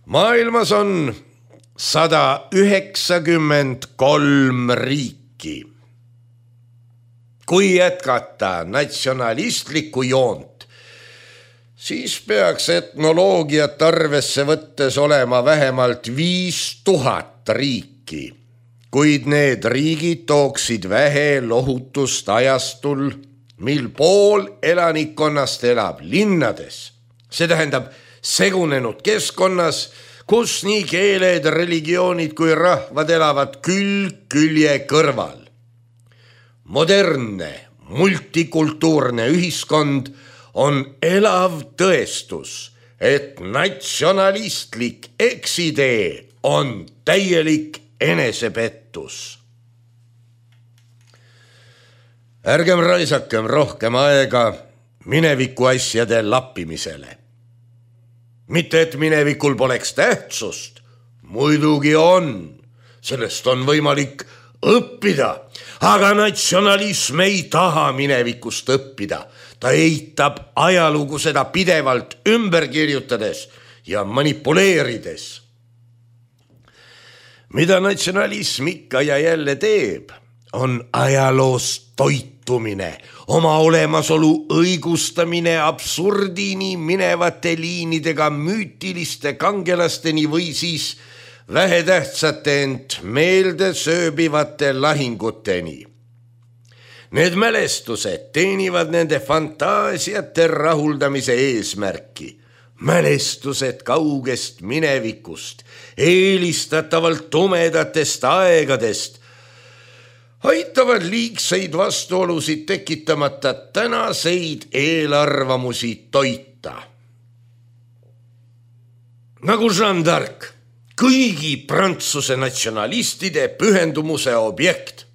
Maailmas on sada üheksakümmend kolm riiki. Kui jätkata natsionalistlikku joont, siis peaks etnoloogiat arvesse võttes olema vähemalt viis tuhat riiki. Kuid need riigid tooksid vähe lohutust ajastul, mil pool elanikkonnast elab linnades. See tähendab segunenud keskkonnas, kus nii keeled, religioonid kui rahvad elavad külg külje kõrval. Modernne, multikultuurne ühiskond on elav tõestus, et natsionalistlik eksidee on täielik enesepettus. Ärgem raisakem rohkem aega mineviku asjade lappimisele. Mitte et minevikul poleks tähtsust, muidugi on, sellest on võimalik õppida, aga natsionalism ei taha minevikust õppida. Ta eitab ajalugu seda pidevalt ümber kirjutades ja manipuleerides. Mida natsionalism ikka ja jälle teeb, on ajaloost toitumine, oma olemasolu õigustamine absurdini minevate liinidega müütiliste kangelasteni või siis vähetähtsate ent meelde sööbivate lahinguteni. Need mälestused teenivad nende fantaasiate rahuldamise eesmärki. Mälestused kaugest minevikust, eelistatavalt tumedatest aegadest, aitavad liigseid vastuolusid tekitamata tänaseid eelarvamusi toita. Nagu Jeanne d'Arc, kõigi Prantsuse natsionalistide pühendumuse objekt,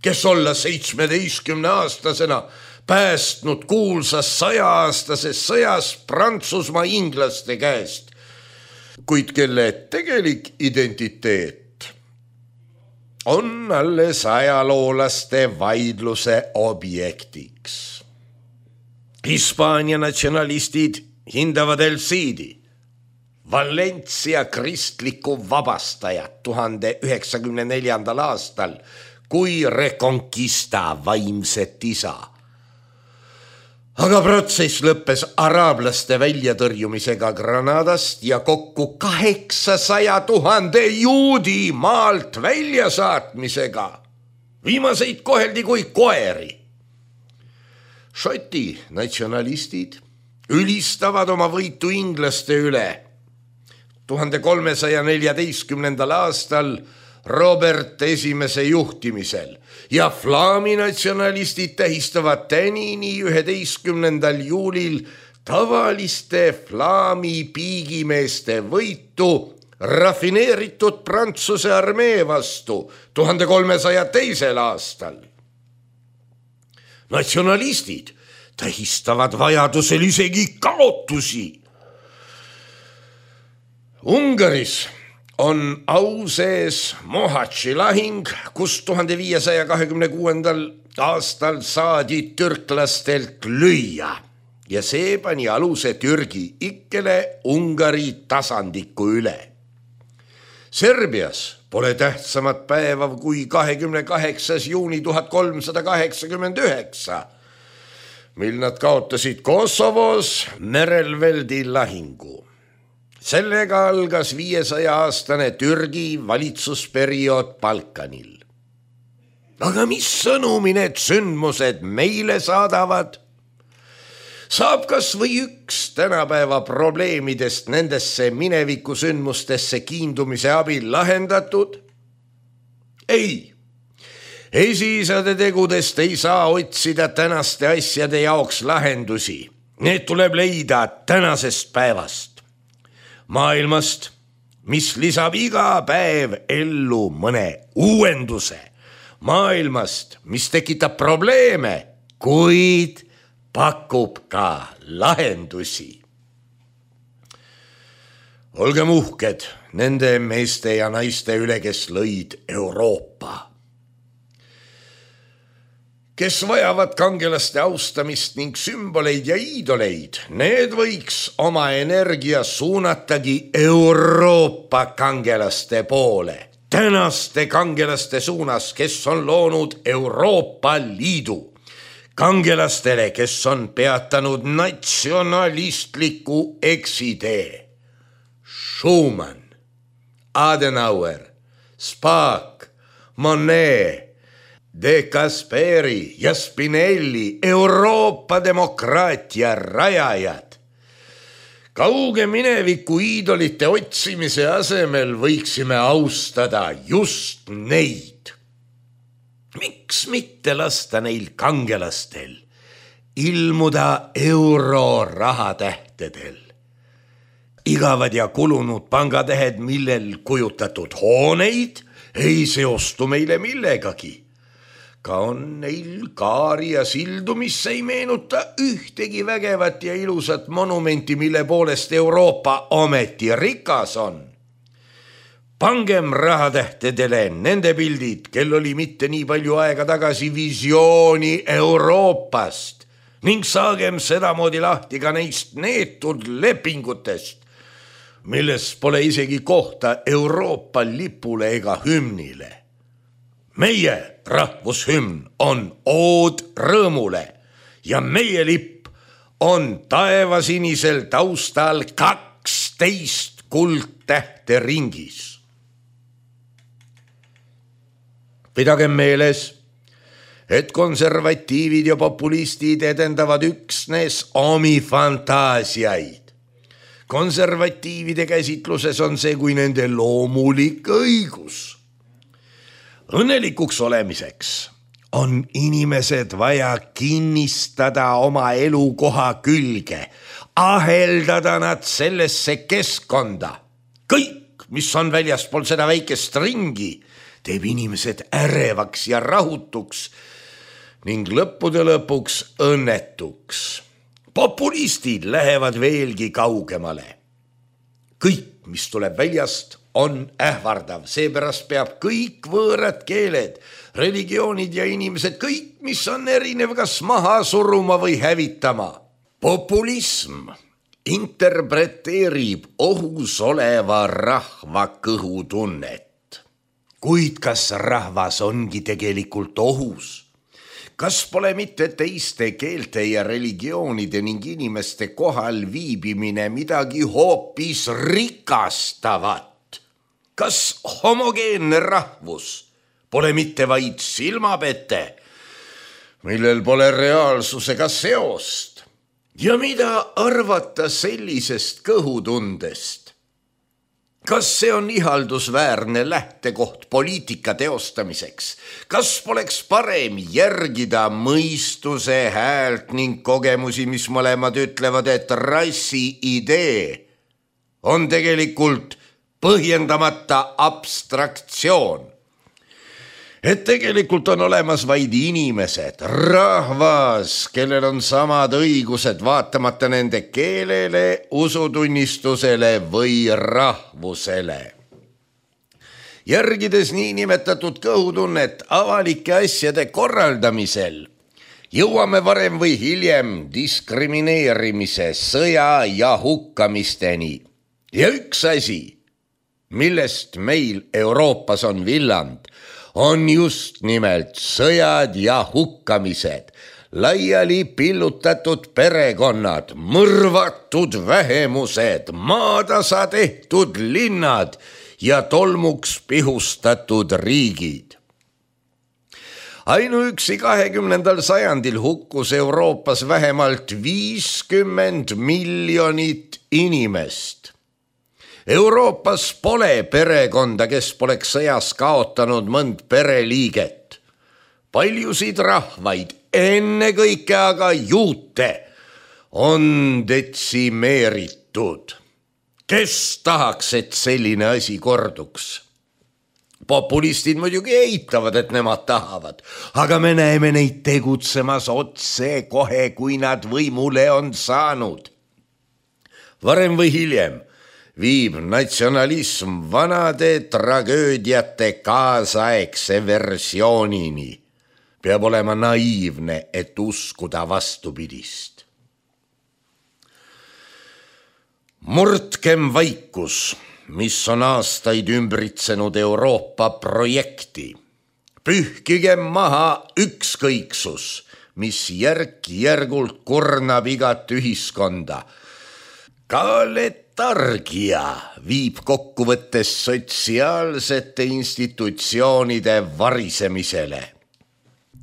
kes olla seitsmeteistkümne aastasena päästnud kuulsas sajaastases sõjas Prantsusmaa inglaste käest, kuid kelle tegelik identiteet on alles ajaloolaste vaidluse objektiks. Hispaania natsionalistid hindavad El Cidi, Valencia kristliku vabastajat tuhande üheksakümne neljandal aastal kui Reconquista vaimset isa. Aga protsess lõppes araablaste väljatõrjumisega Granadast ja kokku kaheksasaja tuhande juudi maalt väljasaatmisega. Viimaseid koheldi kui koeri. Šoti natsionalistid ülistavad oma võitu inglaste üle. tuhande kolmesaja neljateistkümnendal aastal Robert esimese juhtimisel ja flaami natsionalistid tähistavad tänini üheteistkümnendal juulil tavaliste flaami piigimeeste võitu rafineeritud Prantsuse armee vastu tuhande kolmesaja teisel aastal. Natsionalistid tähistavad vajadusel isegi kaotusi. Ungaris on au sees Mohatši lahing, kus tuhande viiesaja kahekümne kuuendal aastal saadi türklastelt lüüa ja see pani aluse Türgi ikkele Ungari tasandiku üle. Serbias pole tähtsamat päeva kui kahekümne kaheksas juuni tuhat kolmsada kaheksakümmend üheksa, mil nad kaotasid Kosovos Merelveldi lahingu. Sellega algas viiesaja aastane Türgi valitsusperiood Balkanil. Aga mis sõnumi need sündmused meile saadavad? Saab kas või üks tänapäeva probleemidest nendesse mineviku sündmustesse kiindumise abil lahendatud? Ei, esiisade tegudest ei saa otsida tänaste asjade jaoks lahendusi. Need tuleb leida tänasest päevast. Maailmast, mis lisab iga päev ellu mõne uuenduse. Maailmast, mis tekitab probleeme, kuid pakub ka lahendusi. Olgem uhked nende meeste ja naiste üle, kes lõid Euroopa. Kes vajavad kangelaste austamist ning sümboleid ja iidoleid, need võiks oma energia suunatagi Euroopa kangelaste poole. Tänaste kangelaste suunas, kes on loonud Euroopa Liidu. Kangelastele, kes on peatanud natsionalistliku eksitee. Schumann, Adenauer, Spaak, Monet, De Gasperi ja Spinelli, Euroopa demokraatia rajajad. Kauge mineviku iidolite otsimise asemel võiksime austada just neid. Miks mitte lasta neil kangelastel ilmuda eurorahatähtedel? Igavad ja kulunud pangatähed, millel kujutatud hooneid, ei seostu meile millegagi. Ka on neil kaari ja sildu, mis ei meenuta ühtegi vägevat ja ilusat monumenti, mille poolest Euroopa ometi rikas on. Pangem rahatähtedele nende pildid, kel oli mitte nii palju aega tagasi visiooni Euroopast ning saagem sedamoodi lahti ka neist neetud lepingutest, milles pole isegi kohta Euroopa lipule ega hümnile. Meie rahvushümn on ood rõõmule ja meie lipp on taevasinisel taustal kaksteist kuldtähte ringis. Pidagem meeles, et konservatiivid ja populistid edendavad üksnes omi fantaasiaid. Konservatiivide käsitluses on see kui nende loomulik õigus. Õnnelikuks olemiseks on inimesed vaja kinnistada oma elukoha külge, aheldada nad sellesse keskkonda. Kõik, mis on väljaspool seda väikest ringi, teeb inimesed ärevaks ja rahutuks ning lõppude lõpuks õnnetuks. Populistid lähevad veelgi kaugemale. Kõik, mis tuleb väljast, on ähvardav, seepärast peab kõik võõrad keeled, religioonid ja inimesed, kõik, mis on erinev, kas maha suruma või hävitama. Populism interpreteerib ohus oleva rahva kõhutunnet. Kuid kas rahvas ongi tegelikult ohus? Kas pole mitte teiste keelte ja religioonide ning inimeste kohal viibimine midagi hoopis rikastavat? Kas homogeenne rahvus pole mitte vaid silmapete, millel pole reaalsusega seost? Ja mida arvata sellisest kõhutundest? Kas see on ihaldusväärne lähtekoht poliitika teostamiseks? Kas poleks parem järgida mõistuse häält ning kogemusi, mis mõlemad ütlevad, et rassi idee on tegelikult põhjendamata abstraktsioon. Et tegelikult on olemas vaid inimesed, rahvas, kellel on samad õigused vaatamata nende keelele, usutunnistusele või rahvusele. järgides niinimetatud kõhutunnet avalike asjade korraldamisel, jõuame varem või hiljem diskrimineerimise, sõja ja hukkamisteni. Ja üks asi, millest meil Euroopas on villand, on just nimelt sõjad ja hukkamised, laiali pillutatud perekonnad, mõrvatud vähemused, maatasa tehtud linnad ja tolmuks pihustatud riigid. Ainuüksi kahekümnendal sajandil hukkus Euroopas vähemalt viiskümmend miljonit inimest. Euroopas pole perekonda, kes poleks sõjas kaotanud mõnd pereliiget. Paljusid rahvaid, ennekõike aga juute, on detsimeeritud. Kes tahaks, et selline asi korduks? Populistid muidugi eitavad, et nemad tahavad, aga me näeme neid tegutsemas otse kohe, kui nad võimule on saanud. Varem või hiljem viib natsionalism vanade tragöödiate kaasaegse versioonini. Peab olema naiivne, et uskuda vastupidist. Murdkem vaikus, mis on aastaid ümbritsenud Euroopa projekti. Pühkigem maha ükskõiksus, mis järk-järgult kurnab igat ühiskonda. Ka letargia viib kokkuvõttes sotsiaalsete institutsioonide varisemisele.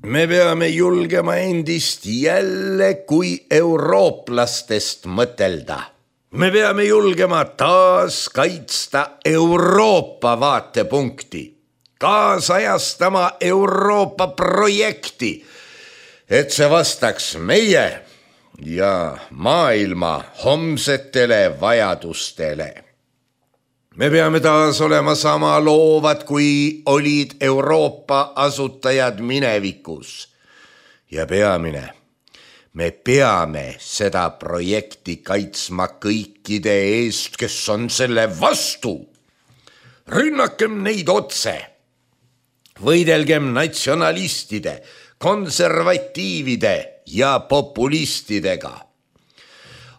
Me peame julgema endist jälle kui eurooplastest mõtelda. Me peame julgema taas kaitsta Euroopa vaatepunkti, kaasajastama Euroopa projekti, et see vastaks meie ja maailma homsetele vajadustele. Me peame taas olema sama loovad, kui olid Euroopa asutajad minevikus. Ja peamine, me peame seda projekti kaitsma kõikide eest, kes on selle vastu. Rünnakem neid otse. Võidelgem natsionalistide, konservatiivide ja populistidega.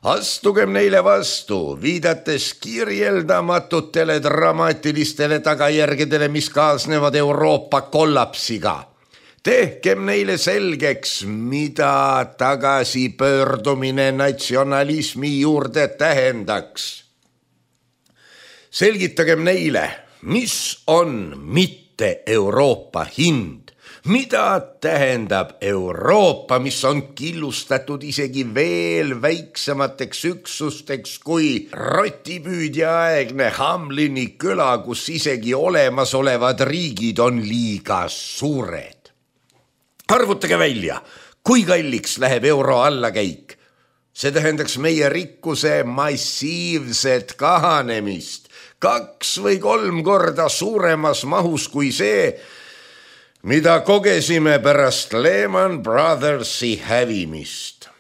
Astugem neile vastu, viidates kirjeldamatutele dramaatilistele tagajärgedele, mis kaasnevad Euroopa kollapsiga. Tehkem neile selgeks, mida tagasipöördumine natsionalismi juurde tähendaks. Selgitagem neile, mis on mitte Euroopa hind. Mida tähendab Euroopa, mis on killustatud isegi veel väiksemateks üksusteks kui rotipüüdja aegne Hamlini küla, kus isegi olemasolevad riigid on liiga suured. Arvutage välja, kui kalliks läheb euro allakäik. See tähendaks meie rikkuse massiivset kahanemist, kaks või kolm korda suuremas mahus kui see, mida kogesime pärast Lehman Brothersi hävimist.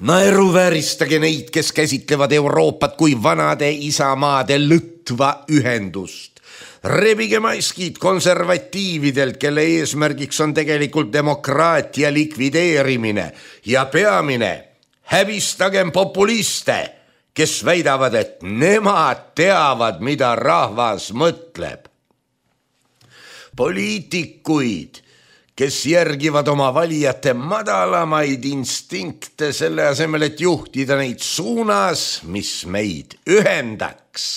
Naeruvääristage neid, kes käsitlevad Euroopat kui vanade isamaade lõtva ühendust. Rebige maskid konservatiividelt, kelle eesmärgiks on tegelikult demokraatia likvideerimine ja peamine, häbistagem populiste, kes väidavad, et nemad teavad, mida rahvas mõtleb. Poliitikuid, kes järgivad oma valijate madalamaid instinkte selle asemel, et juhtida neid suunas, mis meid ühendaks.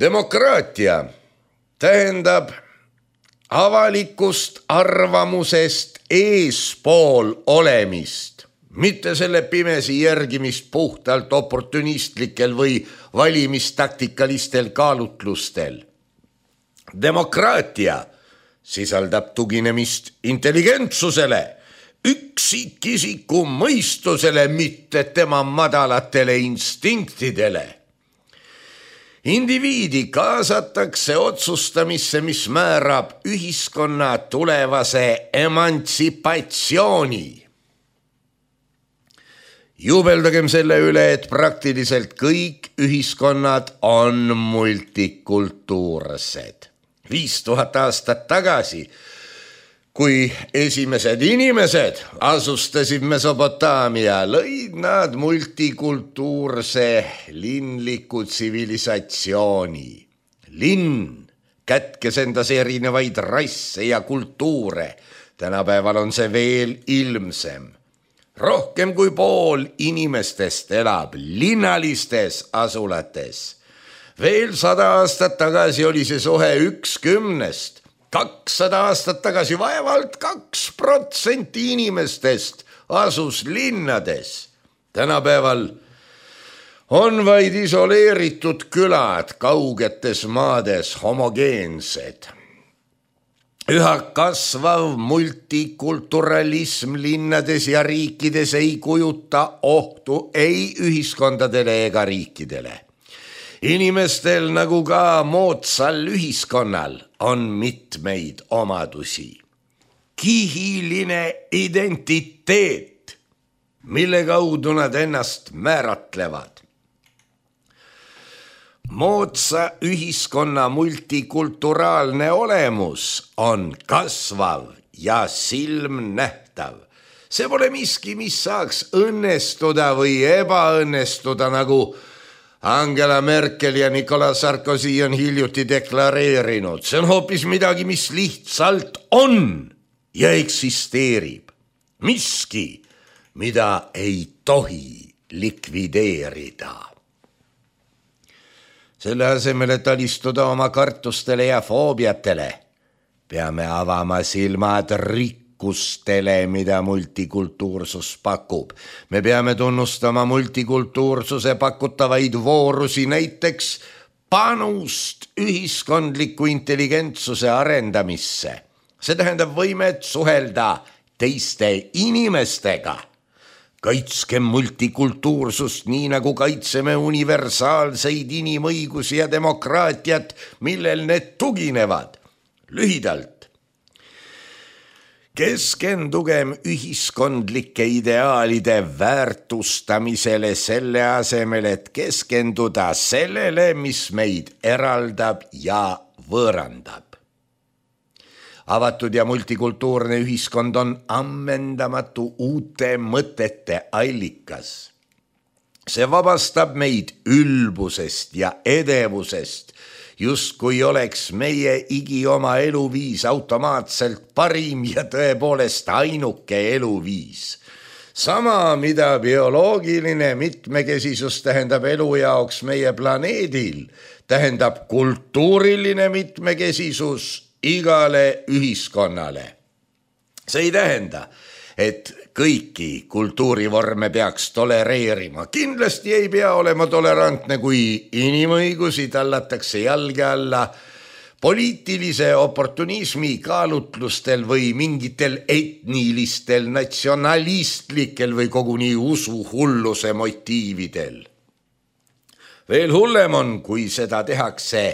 Demokraatia tähendab avalikust arvamusest eespool olemist, mitte selle pimesi järgimist puhtalt oportunistlikel või valimistaktikalistel kaalutlustel. Demokraatia sisaldab tuginemist intelligentsusele, üksikisiku mõistusele, mitte tema madalatele instinktidele. Indiviidi kaasatakse otsustamisse, mis määrab ühiskonna tulevase emantsipatsiooni. Jubeldagem selle üle, et praktiliselt kõik ühiskonnad on multikultuursed. Viis tuhat aastat tagasi, kui esimesed inimesed asustasid Mesopotaamia, lõid nad multikultuurse linliku tsivilisatsiooni. Linn kätkes endas erinevaid rasse ja kultuure. Tänapäeval on see veel ilmsem. Rohkem kui pool inimestest elab linnalistes asulates. Veel sada aastat tagasi oli see suhe üks kümnest. kakssada aastat tagasi vaevalt kaks protsenti inimestest asus linnades. Tänapäeval on vaid isoleeritud külad kaugetes maades homogeensed. Üha kasvav multikulturalism linnades ja riikides ei kujuta ohtu ei ühiskondadele ega riikidele. Inimestel nagu ka moodsal ühiskonnal on mitmeid omadusi. Kihiline identiteet, mille kaudu nad ennast määratlevad. Moodsa ühiskonna multikulturaalne olemus on kasvav ja silmnähtav. See pole miski, mis saaks õnnestuda või ebaõnnestuda, nagu Angela Merkel ja Nicolas Sarkozy on hiljuti deklareerinud. See on hoopis midagi, mis lihtsalt on ja eksisteerib. Miski, mida ei tohi likvideerida. Selle asemel, et alistuda oma kartustele ja foobiatele, peame avama silmad rikkustele, mida multikultuursus pakub. Me peame tunnustama multikultuursuse pakutavaid voorusi, näiteks panust ühiskondliku intelligentsuse arendamisse. See tähendab võimet suhelda teiste inimestega. Kaitskem multikultuursust nii nagu kaitseme universaalseid inimõigusi ja demokraatiat, millel need tuginevad. Lühidalt. Keskendugem ühiskondlike ideaalide väärtustamisele selle asemel, et keskenduda sellele, mis meid eraldab ja võõrandab. Avatud ja multikultuurne ühiskond on ammendamatu uute mõtete allikas. See vabastab meid ülbusest ja edevusest, justkui oleks meie igi oma eluviis automaatselt parim ja tõepoolest ainuke eluviis. Sama, mida bioloogiline mitmekesisus tähendab elu jaoks meie planeedil, tähendab kultuuriline mitmekesisus igale ühiskonnale. See ei tähenda, et kõiki kultuurivorme peaks tolereerima. Kindlasti ei pea olema tolerantne, kui inimõigusi tallatakse jalge alla poliitilise oportunismi kaalutlustel või mingitel etnilistel, natsionalistlikel või koguni usuhulluse motiividel. Veel hullem on, kui seda tehakse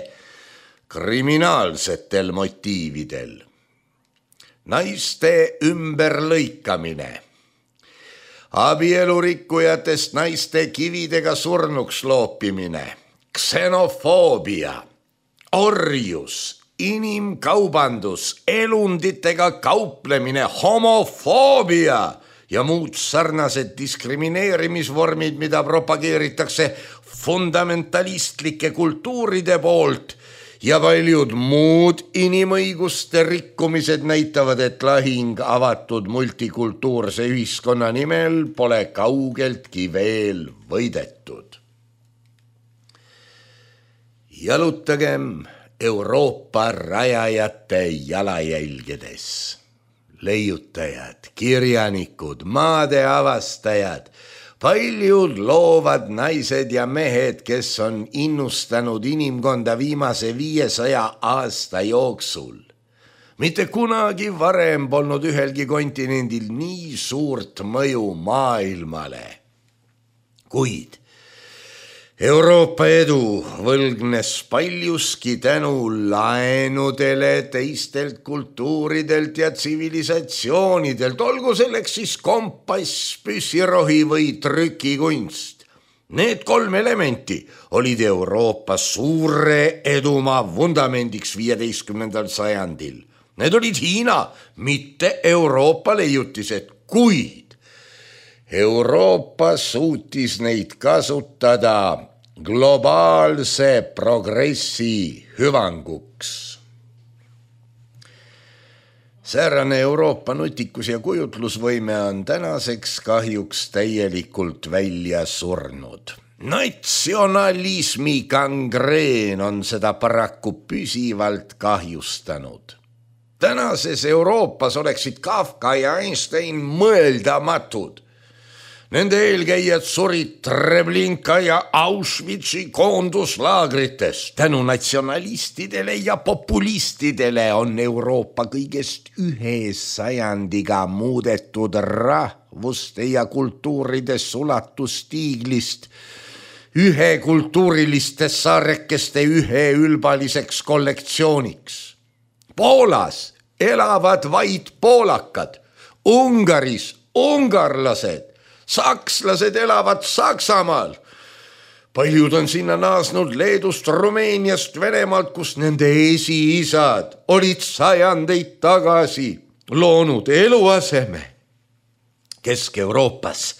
kriminaalsetel motiividel. Naiste ümberlõikamine. Abielurikkujatest naiste kividega surnuks loopimine. Ksenofoobia. Orjus. Inimkaubandus. Elunditega kauplemine. Homofoobia. Ja muud sarnased diskrimineerimisvormid, mida propageeritakse fundamentalistlike kultuuride poolt, ja paljud muud inimõiguste rikkumised näitavad, et lahing avatud multikultuurse ühiskonna nimel pole kaugeltki veel võidetud. Jalutagem Euroopa rajajate jalajälgedes. Leiutajad, kirjanikud, maade avastajad, paljud loovad naised ja mehed, kes on innustanud inimkonda viimase viiesaja aasta jooksul. Mitte kunagi varem polnud ühelgi kontinendil nii suurt mõju maailmale. Kuid Euroopa edu võlgnes paljuski tänu laenudele teistelt kultuuridelt ja tsivilisatsioonidelt, olgu selleks siis kompass, püssirohi või trükikunst. Need kolm elementi olid Euroopa suure edumaa vundamendiks viieteistkümnendal sajandil. Need olid Hiina, mitte Euroopa leiutised, kuid Euroopa suutis neid kasutada globaalse progressi hüvanguks. Säärane Euroopa nutikus ja kujutlusvõime on tänaseks kahjuks täielikult välja surnud. Natsionalismi gangreen on seda paraku püsivalt kahjustanud. Tänases Euroopas oleksid Kafka ja Einstein mõeldamatud. Nende eelkäijad surid Treblinka ja Auschwitzi koonduslaagrites. Tänu natsionalistidele ja populistidele on Euroopa kõigest ühe sajandiga muudetud rahvuste ja kultuuride sulatustiiglist ühe kultuuriliste saarekeste ühe ülbaliseks kollektsiooniks. Poolas elavad vaid poolakad, Ungaris ungarlased, sakslased elavad Saksamaal. Paljud on sinna naasnud Leedust, Rumeeniast, Venemaalt, kus nende esiisad olid sajandeid tagasi loonud eluaseme. Kesk-Euroopas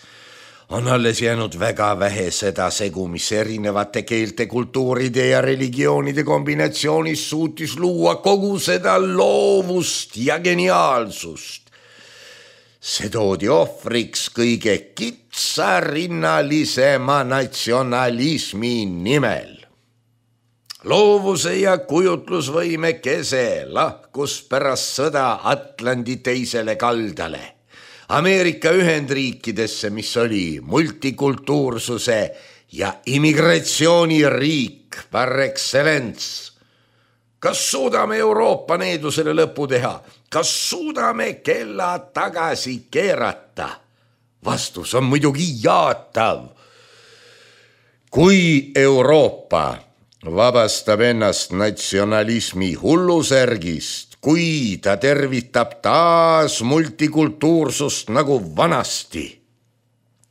on alles jäänud väga vähe seda segu, mis erinevate keelte, kultuuride ja religioonide kombinatsioonis suutis luua kogu seda loovust ja geniaalsust. See toodi ohvriks kõige kitsarinnalisema natsionalismi nimel. Loovuse ja kujutlusvõime kese lahkus pärast sõda Atlandi teisele kaldale, Ameerika Ühendriikidesse, mis oli multikultuursuse ja immigratsiooniriik par excellence. Kas suudame Euroopa needusele lõpu teha? Kas suudame kella tagasi keerata? Vastus on muidugi jaatav. Kui Euroopa vabastab ennast natsionalismi hullusärgist, kui ta tervitab taas multikultuursust nagu vanasti,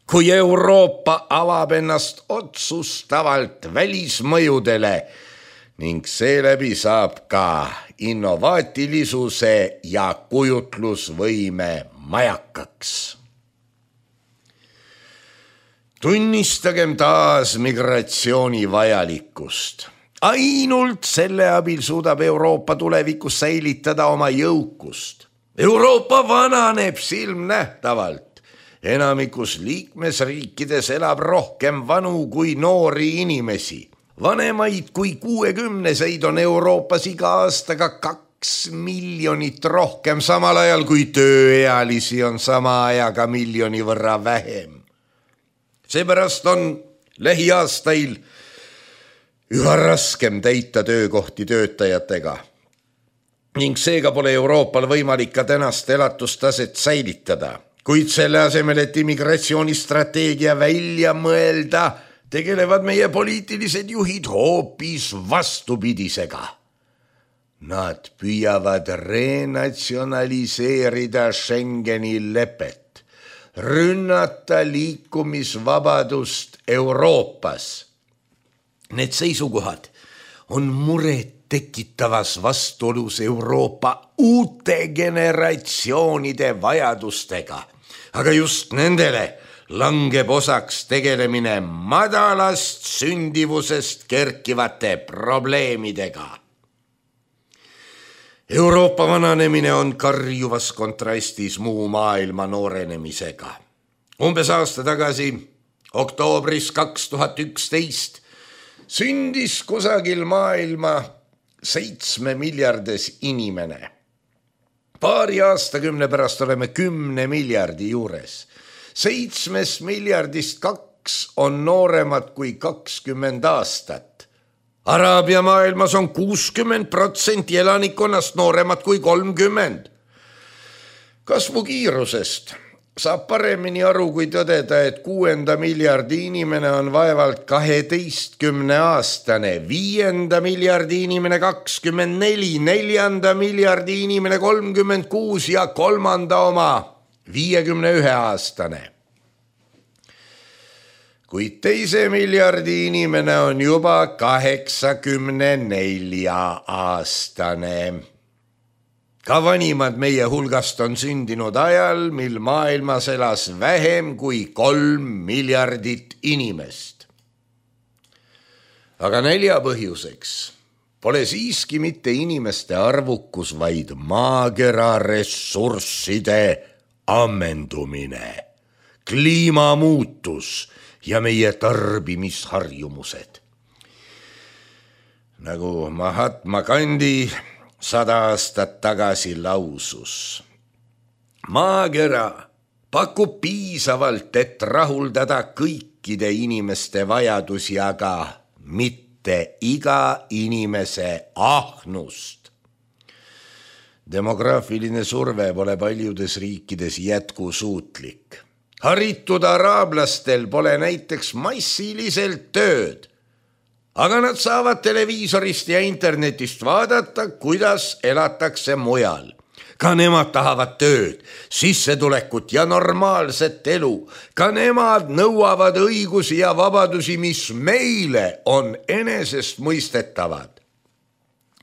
kui Euroopa avab ennast otsustavalt välismõjudele ning seeläbi saab ka innovaatilisuse ja kujutlusvõime majakaks. Tunnistagem taas migratsiooni vajalikkust. Ainult selle abil suudab Euroopa tulevikus säilitada oma jõukust. Euroopa vananeb silmnähtavalt. Enamikus liikmesriikides elab rohkem vanu kui noori inimesi. Vanemaid kui kuuekümneseid on Euroopas iga aastaga kaks miljonit rohkem, samal ajal kui tööealisi on sama ajaga miljoni võrra vähem. Seepärast on lähiaastail üha raskem täita töökohti töötajatega ning seega pole Euroopal võimalik ka tänast elatustaset säilitada, kuid selle asemel, et immigratsioonistrateegia välja mõelda, tegelevad meie poliitilised juhid hoopis vastupidisega. Nad püüavad renatsionaliseerida Schengeni lepet, rünnata liikumisvabadust Euroopas. Need seisukohad on muret tekitavas vastuolus Euroopa uute generatsioonide vajadustega, aga just nendele langeb osaks tegelemine madalast sündivusest kerkivate probleemidega. Euroopa vananemine on karjuvas kontrastis muu maailma noorenemisega. Umbes aasta tagasi, oktoobris kaks tuhat üksteist, sündis kusagil maailma seitsme miljardes inimene. Paari aastakümne pärast oleme kümne miljardi juures. Seitsmest miljardist kaks on nooremad kui kakskümmend aastat. Araabia maailmas on kuuskümmend protsenti elanikkonnast nooremad kui kolmkümmend. Kasvu kiirusest saab paremini aru, kui tõdeda, et kuuenda miljardi inimene on vaevalt kaheteistkümne aastane, viienda miljardi inimene kakskümmend neli, neljanda miljardi inimene kolmkümmend kuus ja kolmanda oma viiekümne ühe aastane. Kuid teise miljardi inimene on juba kaheksakümne nelja aastane. Ka vanimad meie hulgast on sündinud ajal, mil maailmas elas vähem kui kolm miljardit inimest. Aga nälja põhjuseks pole siiski mitte inimeste arvukus, vaid maakera ressursside ammendumine, kliimamuutus ja meie tarbimisharjumused. Nagu Mahatma Gandhi sada aastat tagasi lausus. Maakera pakub piisavalt, et rahuldada kõikide inimeste vajadusi, aga mitte iga inimese ahnust. Demograafiline surve pole paljudes riikides jätkusuutlik. Haritud araablastel pole näiteks massiliselt tööd, aga nad saavad televiisorist ja internetist vaadata, kuidas elatakse mujal. Ka nemad tahavad tööd, sissetulekut ja normaalset elu. Ka nemad nõuavad õigusi ja vabadusi, mis meile on enesestmõistetavad.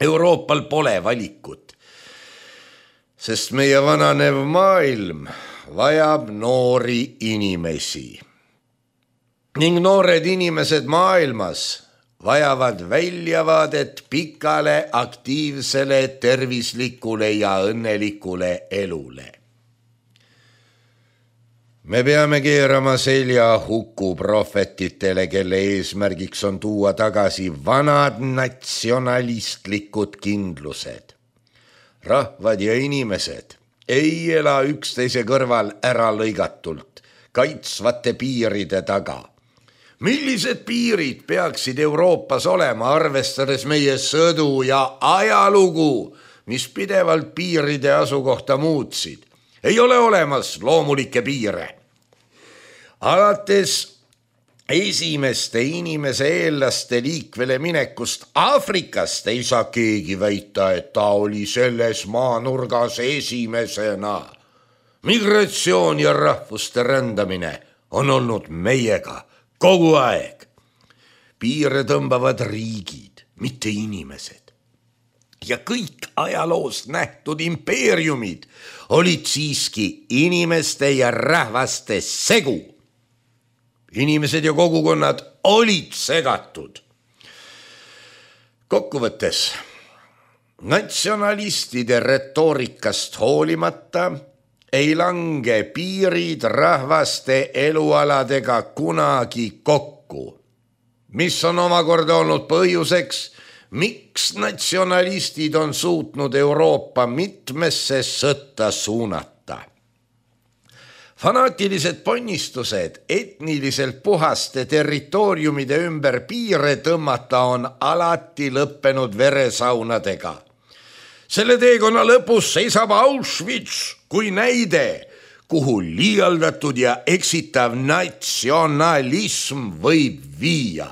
Euroopal pole valikut, sest meie vananev maailm vajab noori inimesi. Ning noored inimesed maailmas vajavad väljavaadet pikale, aktiivsele, tervislikule ja õnnelikule elule. Me peame keerama selja huku prohvetitele, kelle eesmärgiks on tuua tagasi vanad natsionalistlikud kindlused. Rahvad ja inimesed ei ela üksteise kõrval ära lõigatult, kaitsvate piiride taga. Millised piirid peaksid Euroopas olema, arvestades meie sõdu ja ajalugu, mis pidevalt piiride asukohta muutsid? Ei ole olemas loomulikke piire. Alates esimeste inimese eelaste liikvele minekust Aafrikast ei saa keegi väita, et ta oli selles maanurgas esimesena. Migratsioon ja rahvuste rändamine on olnud meiega kogu aeg. Piire tõmbavad riigid, mitte inimesed. Ja kõik ajaloos nähtud impeeriumid olid siiski inimeste ja rahvaste segu. Inimesed ja kogukonnad olid segatud. Kokkuvõttes, natsionalistide retoorikast hoolimata ei lange piirid rahvaste elualadega kunagi kokku, mis on omakorda olnud põhjuseks, miks natsionalistid on suutnud Euroopa mitmesse sõtta suunata. Fanaatilised ponnistused etniliselt puhaste territooriumide ümber piire tõmmata on alati lõppenud veresaunadega. Selle teekonna lõpus seisab Auschwitz kui näide, kuhu liialdatud ja eksitav natsionalism võib viia.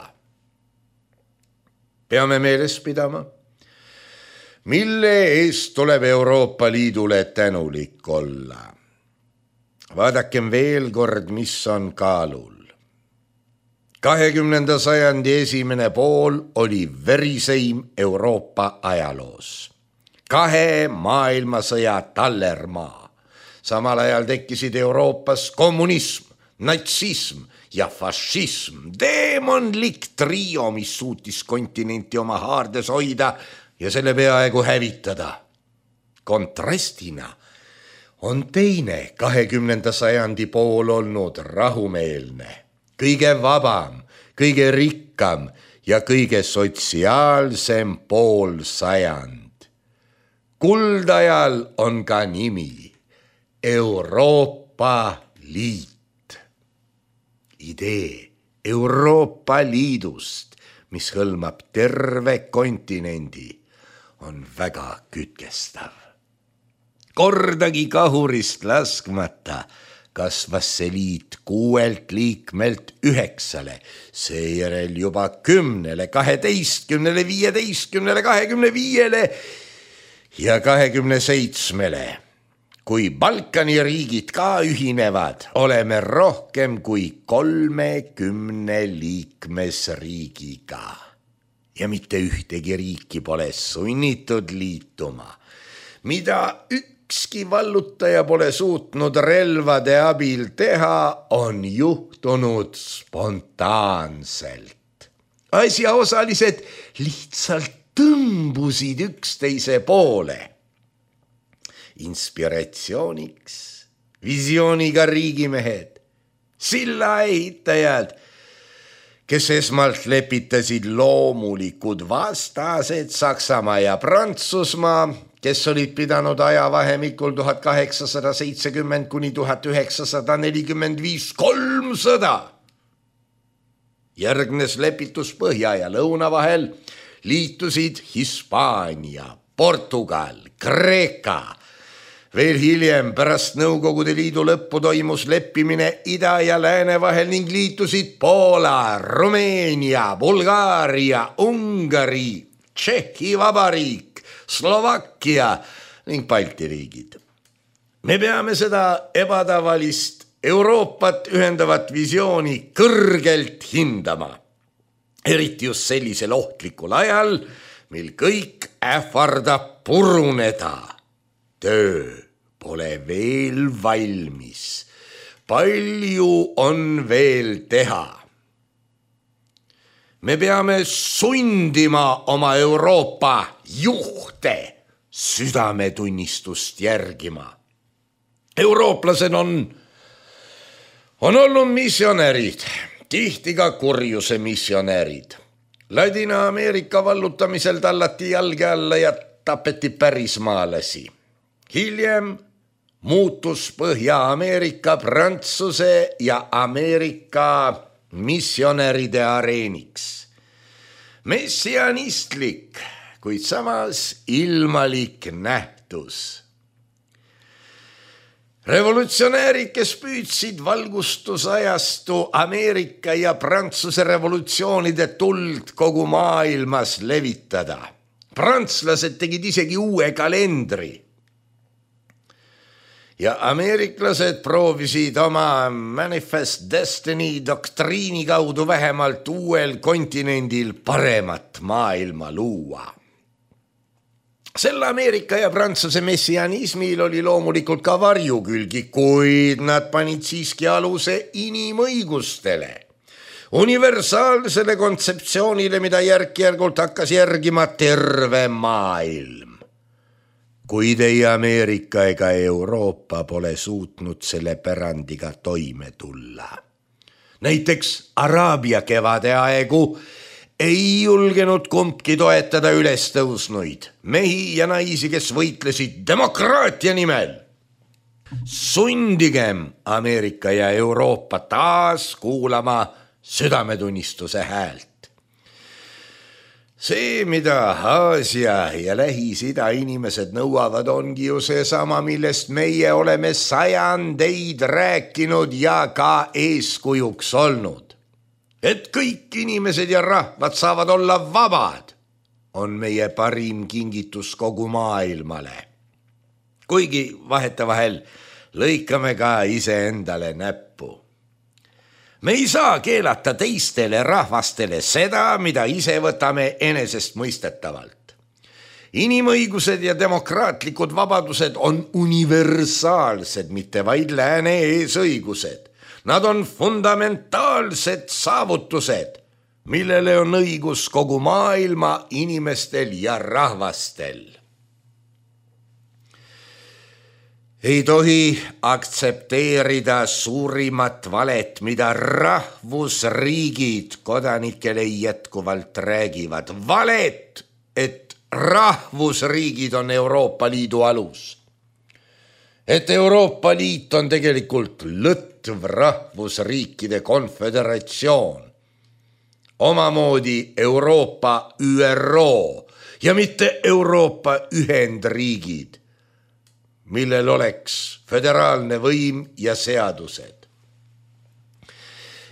Peame meeles pidama, mille eest tuleb Euroopa Liidule tänulik olla. Vaadakem veel kord, mis on kaalul. kahekümnenda sajandi esimene pool oli veriseim Euroopa ajaloos. Kahe maailmasõja tallermaa. Samal ajal tekkisid Euroopas kommunism, natsism ja fašism. Deemonlik trio, mis suutis kontinenti oma haardes hoida ja selle peaaegu hävitada. Kontrastina on teine kahekümnenda sajandi pool olnud rahumeelne, kõige vabam, kõige rikkam ja kõige sotsiaalsem pool sajand. Kuldajal on ka nimi Euroopa Liit. Idee Euroopa Liidust, mis hõlmab terve kontinendi, on väga kütkestav. Kordagi kahurist laskmata kasvas see liit kuuelt liikmelt üheksale, seejärel juba kümnele, kaheteistkümnele, viieteistkümnele, kahekümne viiele ja kahekümne seitsmele. Kui Balkani riigid ka ühinevad, oleme rohkem kui kolmekümne liikmesriigiga. Ja mitte ühtegi riiki pole sunnitud liituma, mida ükski vallutaja pole suutnud relvade abil teha, on juhtunud spontaanselt. Asjaosalised lihtsalt tõmbusid üksteise poole. Inspiratsiooniks, visiooniga riigimehed, silla ehitajad, kes esmalt lepitasid loomulikud vastased Saksamaa ja Prantsusmaa, kes olid pidanud ajavahemikul tuhat kaheksasada seitsekümmend kuni tuhat üheksasada nelikümmend viis kolm sõda. Järgnes lepitus põhja ja lõuna vahel, liitusid Hispaania, Portugal, Kreeka. Veel hiljem pärast Nõukogude Liidu lõppu toimus leppimine ida ja lääne vahel ning liitusid Poola, Rumeenia, Bulgaaria, Ungari, Tšehhi Vabariik, Slovakkia ning Balti riigid. Me peame seda ebatavalist Euroopat ühendavat visiooni kõrgelt hindama, eriti just sellisel ohtlikul ajal, mil kõik ähvardab puruneda. Töö pole veel valmis, palju on veel teha. Me peame sundima oma Euroopa juhte südametunnistust järgima. Eurooplased on, on olnud missionärid, tihti ka kurjuse missionärid. Ladina-Ameerika vallutamisel tallati jalge alla ja tapeti pärismaalasi. Hiljem muutus Põhja-Ameerika Prantsuse ja Ameerika missionäride areeniks. Messianistlik, kuid samas ilmalik nähtus. Revolutsionäärid, kes püüdsid valgustusajastu Ameerika ja Prantsuse revolutsioonide tuld kogu maailmas levitada. Prantslased tegid isegi uue kalendri. Ja ameeriklased proovisid oma Manifest Destiny doktriini kaudu vähemalt uuel kontinendil paremat maailma luua. Sel Ameerika ja Prantsuse messianismil oli loomulikult ka varjukülgi, kuid nad panid siiski aluse inimõigustele. Universaalsele kontseptsioonile, mida järk-järgult hakkas järgima terve maailm. Kuid ei Ameerika ega Euroopa pole suutnud selle pärandiga toime tulla. Näiteks Araabia kevade aegu ei julgenud kumbki toetada ülestõusnuid, mehi ja naisi, kes võitlesid demokraatia nimel. Sundigem Ameerika ja Euroopa taas kuulama südametunnistuse häält. See, mida Aasia ja Lähis-Ida inimesed nõuavad, ongi ju see sama, millest meie oleme sajandeid rääkinud ja ka eeskujuks olnud. Et kõik inimesed ja rahvad saavad olla vabad, on meie parim kingitus kogu maailmale. Kuigi vahetevahel lõikame ka iseendale näppu. Me ei saa keelata teistele rahvastele seda, mida ise võtame enesest mõistetavalt. Inimõigused ja demokraatlikud vabadused on universaalsed, mitte vaid lääne eesõigused. Nad on fundamentaalsed saavutused, millele on õigus kogu maailma inimestel ja rahvastel. Ei tohi aktsepteerida suurimat valet, mida rahvusriigid kodanikele jätkuvalt räägivad. Valet, et rahvusriigid on Euroopa Liidu alus. Et Euroopa Liit on tegelikult lõtv rahvusriikide konföderatsioon. Omamoodi Euroopa Ü R O ja mitte Euroopa Ühendriigid, millel oleks föderaalne võim ja seadused.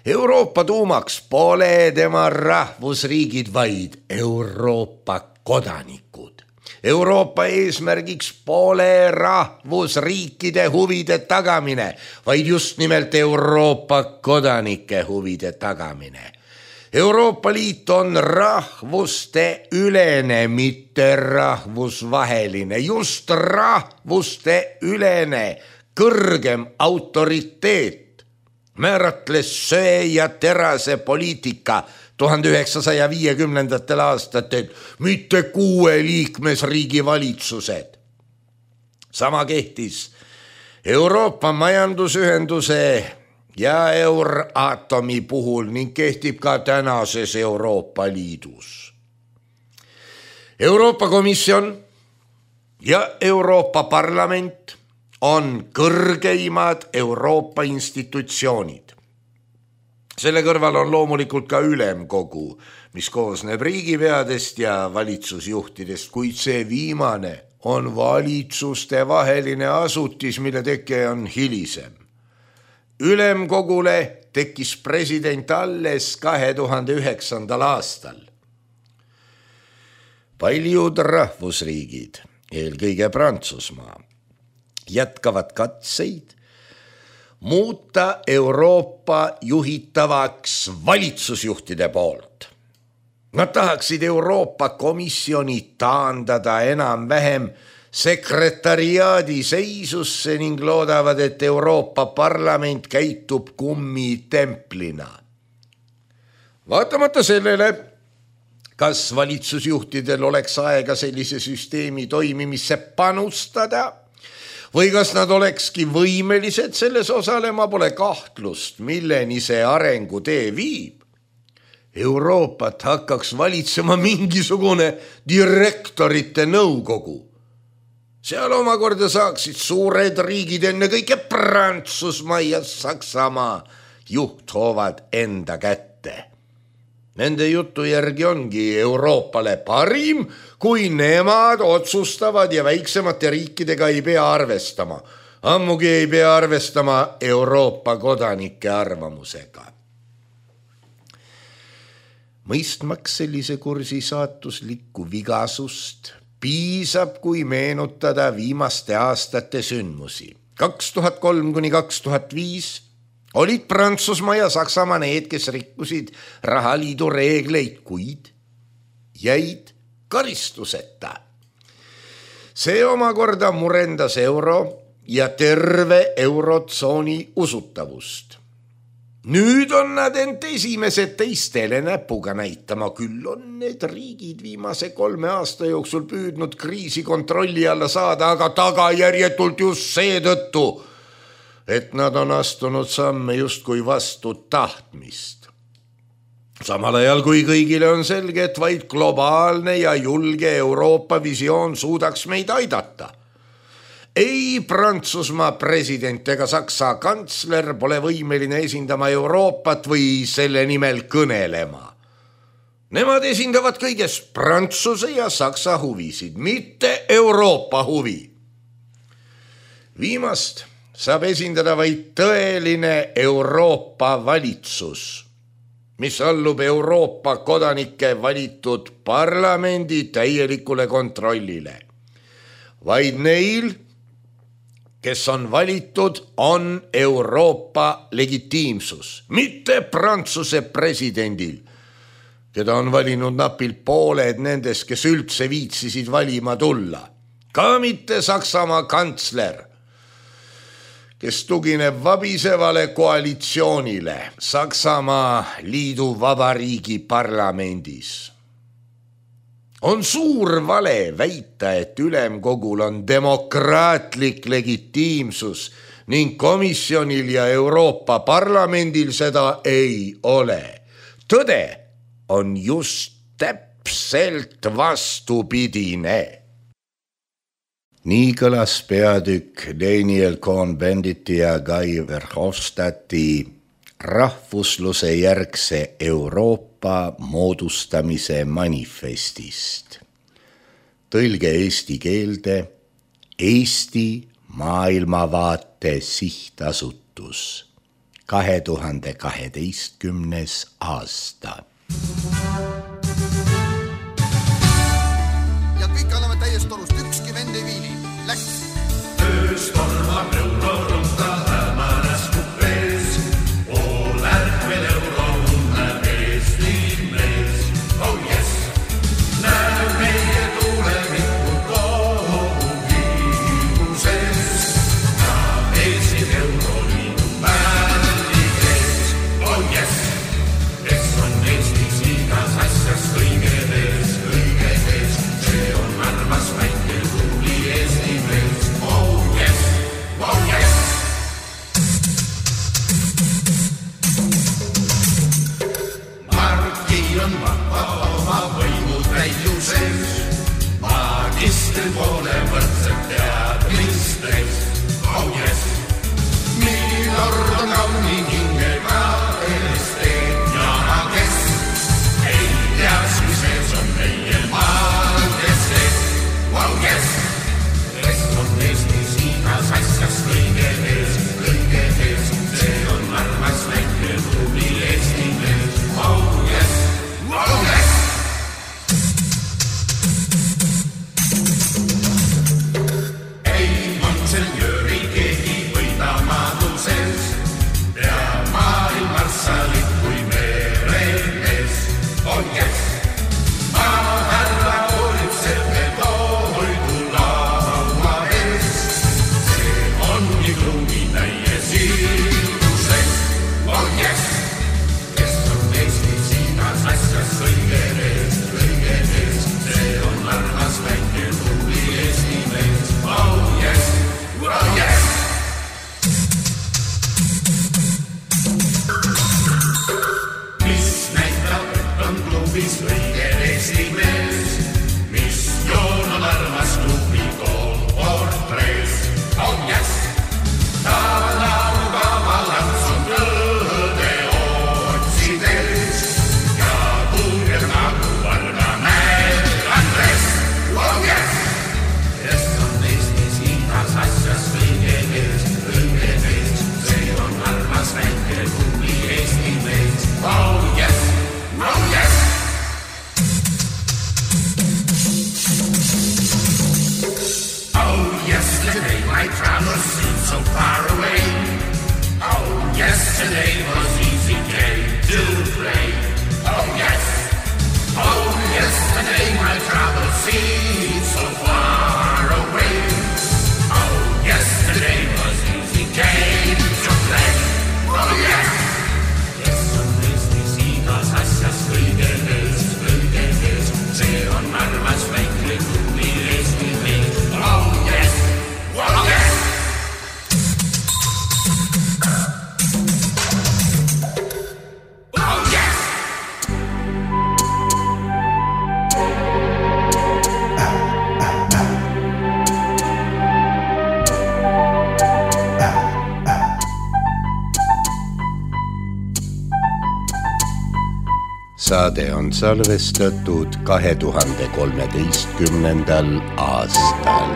Euroopa tuumaks pole tema rahvusriigid, vaid Euroopa kodanikud. Euroopa eesmärgiks pole rahvusriikide huvide tagamine, vaid just nimelt Euroopa kodanike huvide tagamine. Euroopa Liit on rahvuste ülene, mitte rahvusvaheline, just rahvuste ülene kõrgem autoriteet määratles söe ja terase poliitika tuhande üheksasaja viiekümnendatel aastatel, mitte kuue liikmesriigi valitsused. Sama kehtis Euroopa Majandusühenduse ja Euratomi puhul ning kehtib ka tänases Euroopa Liidus. Euroopa Komisjon ja Euroopa Parlament on kõrgeimad Euroopa institutsioonid. Selle kõrval on loomulikult ka ülemkogu, mis koosneb riigipeadest ja valitsusjuhtidest, kuid see viimane on valitsuste vaheline asutis, mille teke on hilisem. Ülemkogule tekkis president alles kahe tuhande üheksandal aastal. Paljud rahvusriigid, eelkõige Prantsusmaa, jätkavad katseid muuta Euroopa juhitavaks valitsusjuhtide poolt. Nad tahaksid Euroopa Komisjoni taandada enam-vähem sekretariaadi seisusse ning loodavad, et Euroopa Parlament käitub kummitemplina. Vaatamata sellele, kas valitsusjuhtidel oleks aega sellise süsteemi toimimisse panustada või kas nad olekski võimelised selles osalema, pole kahtlust, milleni see arengutee viib. Euroopat hakkaks valitsema mingisugune direktorite nõukogu. Seal omakorda saaksid suured riigid, enne kõike Prantsusmaa ja Saksamaa, juhthoovad enda kätte. Nende jutu järgi ongi Euroopale parim, kui nemad otsustavad ja väiksemate riikidega ei pea arvestama. Ammugi ei pea arvestama Euroopa kodanike arvamusega. Mõistmaks sellise kursi saatuslikku vigasust piisab, kui meenutada viimaste aastate sündmusi. kaks tuhat kolm kuni kaks tuhat viis olid Prantsusmaa ja Saksamaa need, kes rikkusid rahaliidu reegleid, kuid jäid karistuseta. See omakorda murendas euro ja terve eurotsooni usutavust. Nüüd on nad end esimesed teistele näpuga näitama, küll on need riigid viimase kolme aasta jooksul püüdnud kriisi kontrolli alla saada, aga tagajärjetult just seetõttu, et nad on astunud samme justkui vastu tahtmist. Samal ajal kui kõigile on selge, et vaid globaalne ja julge Euroopa visioon suudaks meid aidata. Ei Prantsusmaa president ega Saksa kantsler pole võimeline esindama Euroopat või selle nimel kõnelema. Nemad esindavad kõiges Prantsuse ja Saksa huvisid, mitte Euroopa huvi. Viimast saab esindada vaid tõeline Euroopa valitsus, mis allub Euroopa kodanike valitud parlamendi täielikule kontrollile. Vaid neil, kes on valitud, on Euroopa legitiimsus, mitte Prantsuse presidendil, keda on valinud napilt pooled nendest, kes üldse viitsisid valima tulla. Ka mitte Saksamaa kantsler, kes tugineb vabisevale koalitsioonile Saksamaa liidu vabariigi parlamendis. On suur vale väita, et ülemkogul on demokraatlik legitiimsus ning komisjonil ja Euroopa Parlamendil seda ei ole. Tõde on just täpselt vastupidine. Nii kõlas peatükk Daniel Cohn-Benditi ja Guy Verhofstadti rahvusluse järgse Euroopa moodustamise manifestist. Tõlge eesti keelde Eesti Maailmavaate sihtasutus, kahe tuhande kaheteistkümnes aasta. Ja kõik anname täiest torust, ükski vend ei viili. Läks! Öös tormab eurorunta hämänes kupees, pool ärkvel eurounne Eesti mees. Oh yes! Näe meie tulevikku kogu viimuses ja Eesti Euroliidu märgi ees. Oh yes! Kes on Eestis igas asjas kõige ees, kõige ees, see on armas väike tubli Eesti mees. Oh yes! Oh yes! Marki on vaba oma võimu täiuses, magistri poole võrdselt teadmistes. Oh yes! Milord on kauni hingega esteet ja kes ei teaks, mis ees on meie maades ees. Oh yes! Kes on Eestis igas asjas kõige ees, kõige ees, see on armas väike tubli Eesti mees. Oh yes! Oh yes! Ei monsenjööri keegi võida maaduses, pea maailmarsalit kui meremees. Oh yes! Maa härra hoolitseb me toidu laua ees, see on nii kruumi täies ilmuses. Oh yes! Kes on Eestis igas asjas kõige ees, kõige ees, see on armas väike tubli Eesti mees. Oh yes! Oh yes! Mis näitab, et on klubis kõige Eesti mees, mis joon on armas klubi kool portrees. Oh yes! Ta laulgava lants on õde otsides ja tunneb nagu varga näed Andres. Oh yes! Kes on Eestis igas asjas kõige ees, kõige ees, see on armas väike tubli Eesti mees. Oh yes! Oh yes! Oh yesterday my travels seemed so far away. Oh yesterday was easy game to play. Oh yes! Oh yesterday my travels seemed so far away. Oh yesterday was easy game to play. Oh yes! Kes on Eestis igas asjas kõige ees, kõige ees, see on armas väike tubli Eesti mees. Oh yes! Oh yes! Oh yes! Saade on salvestatud kahe tuhande kolmeteistkümnendal aastal.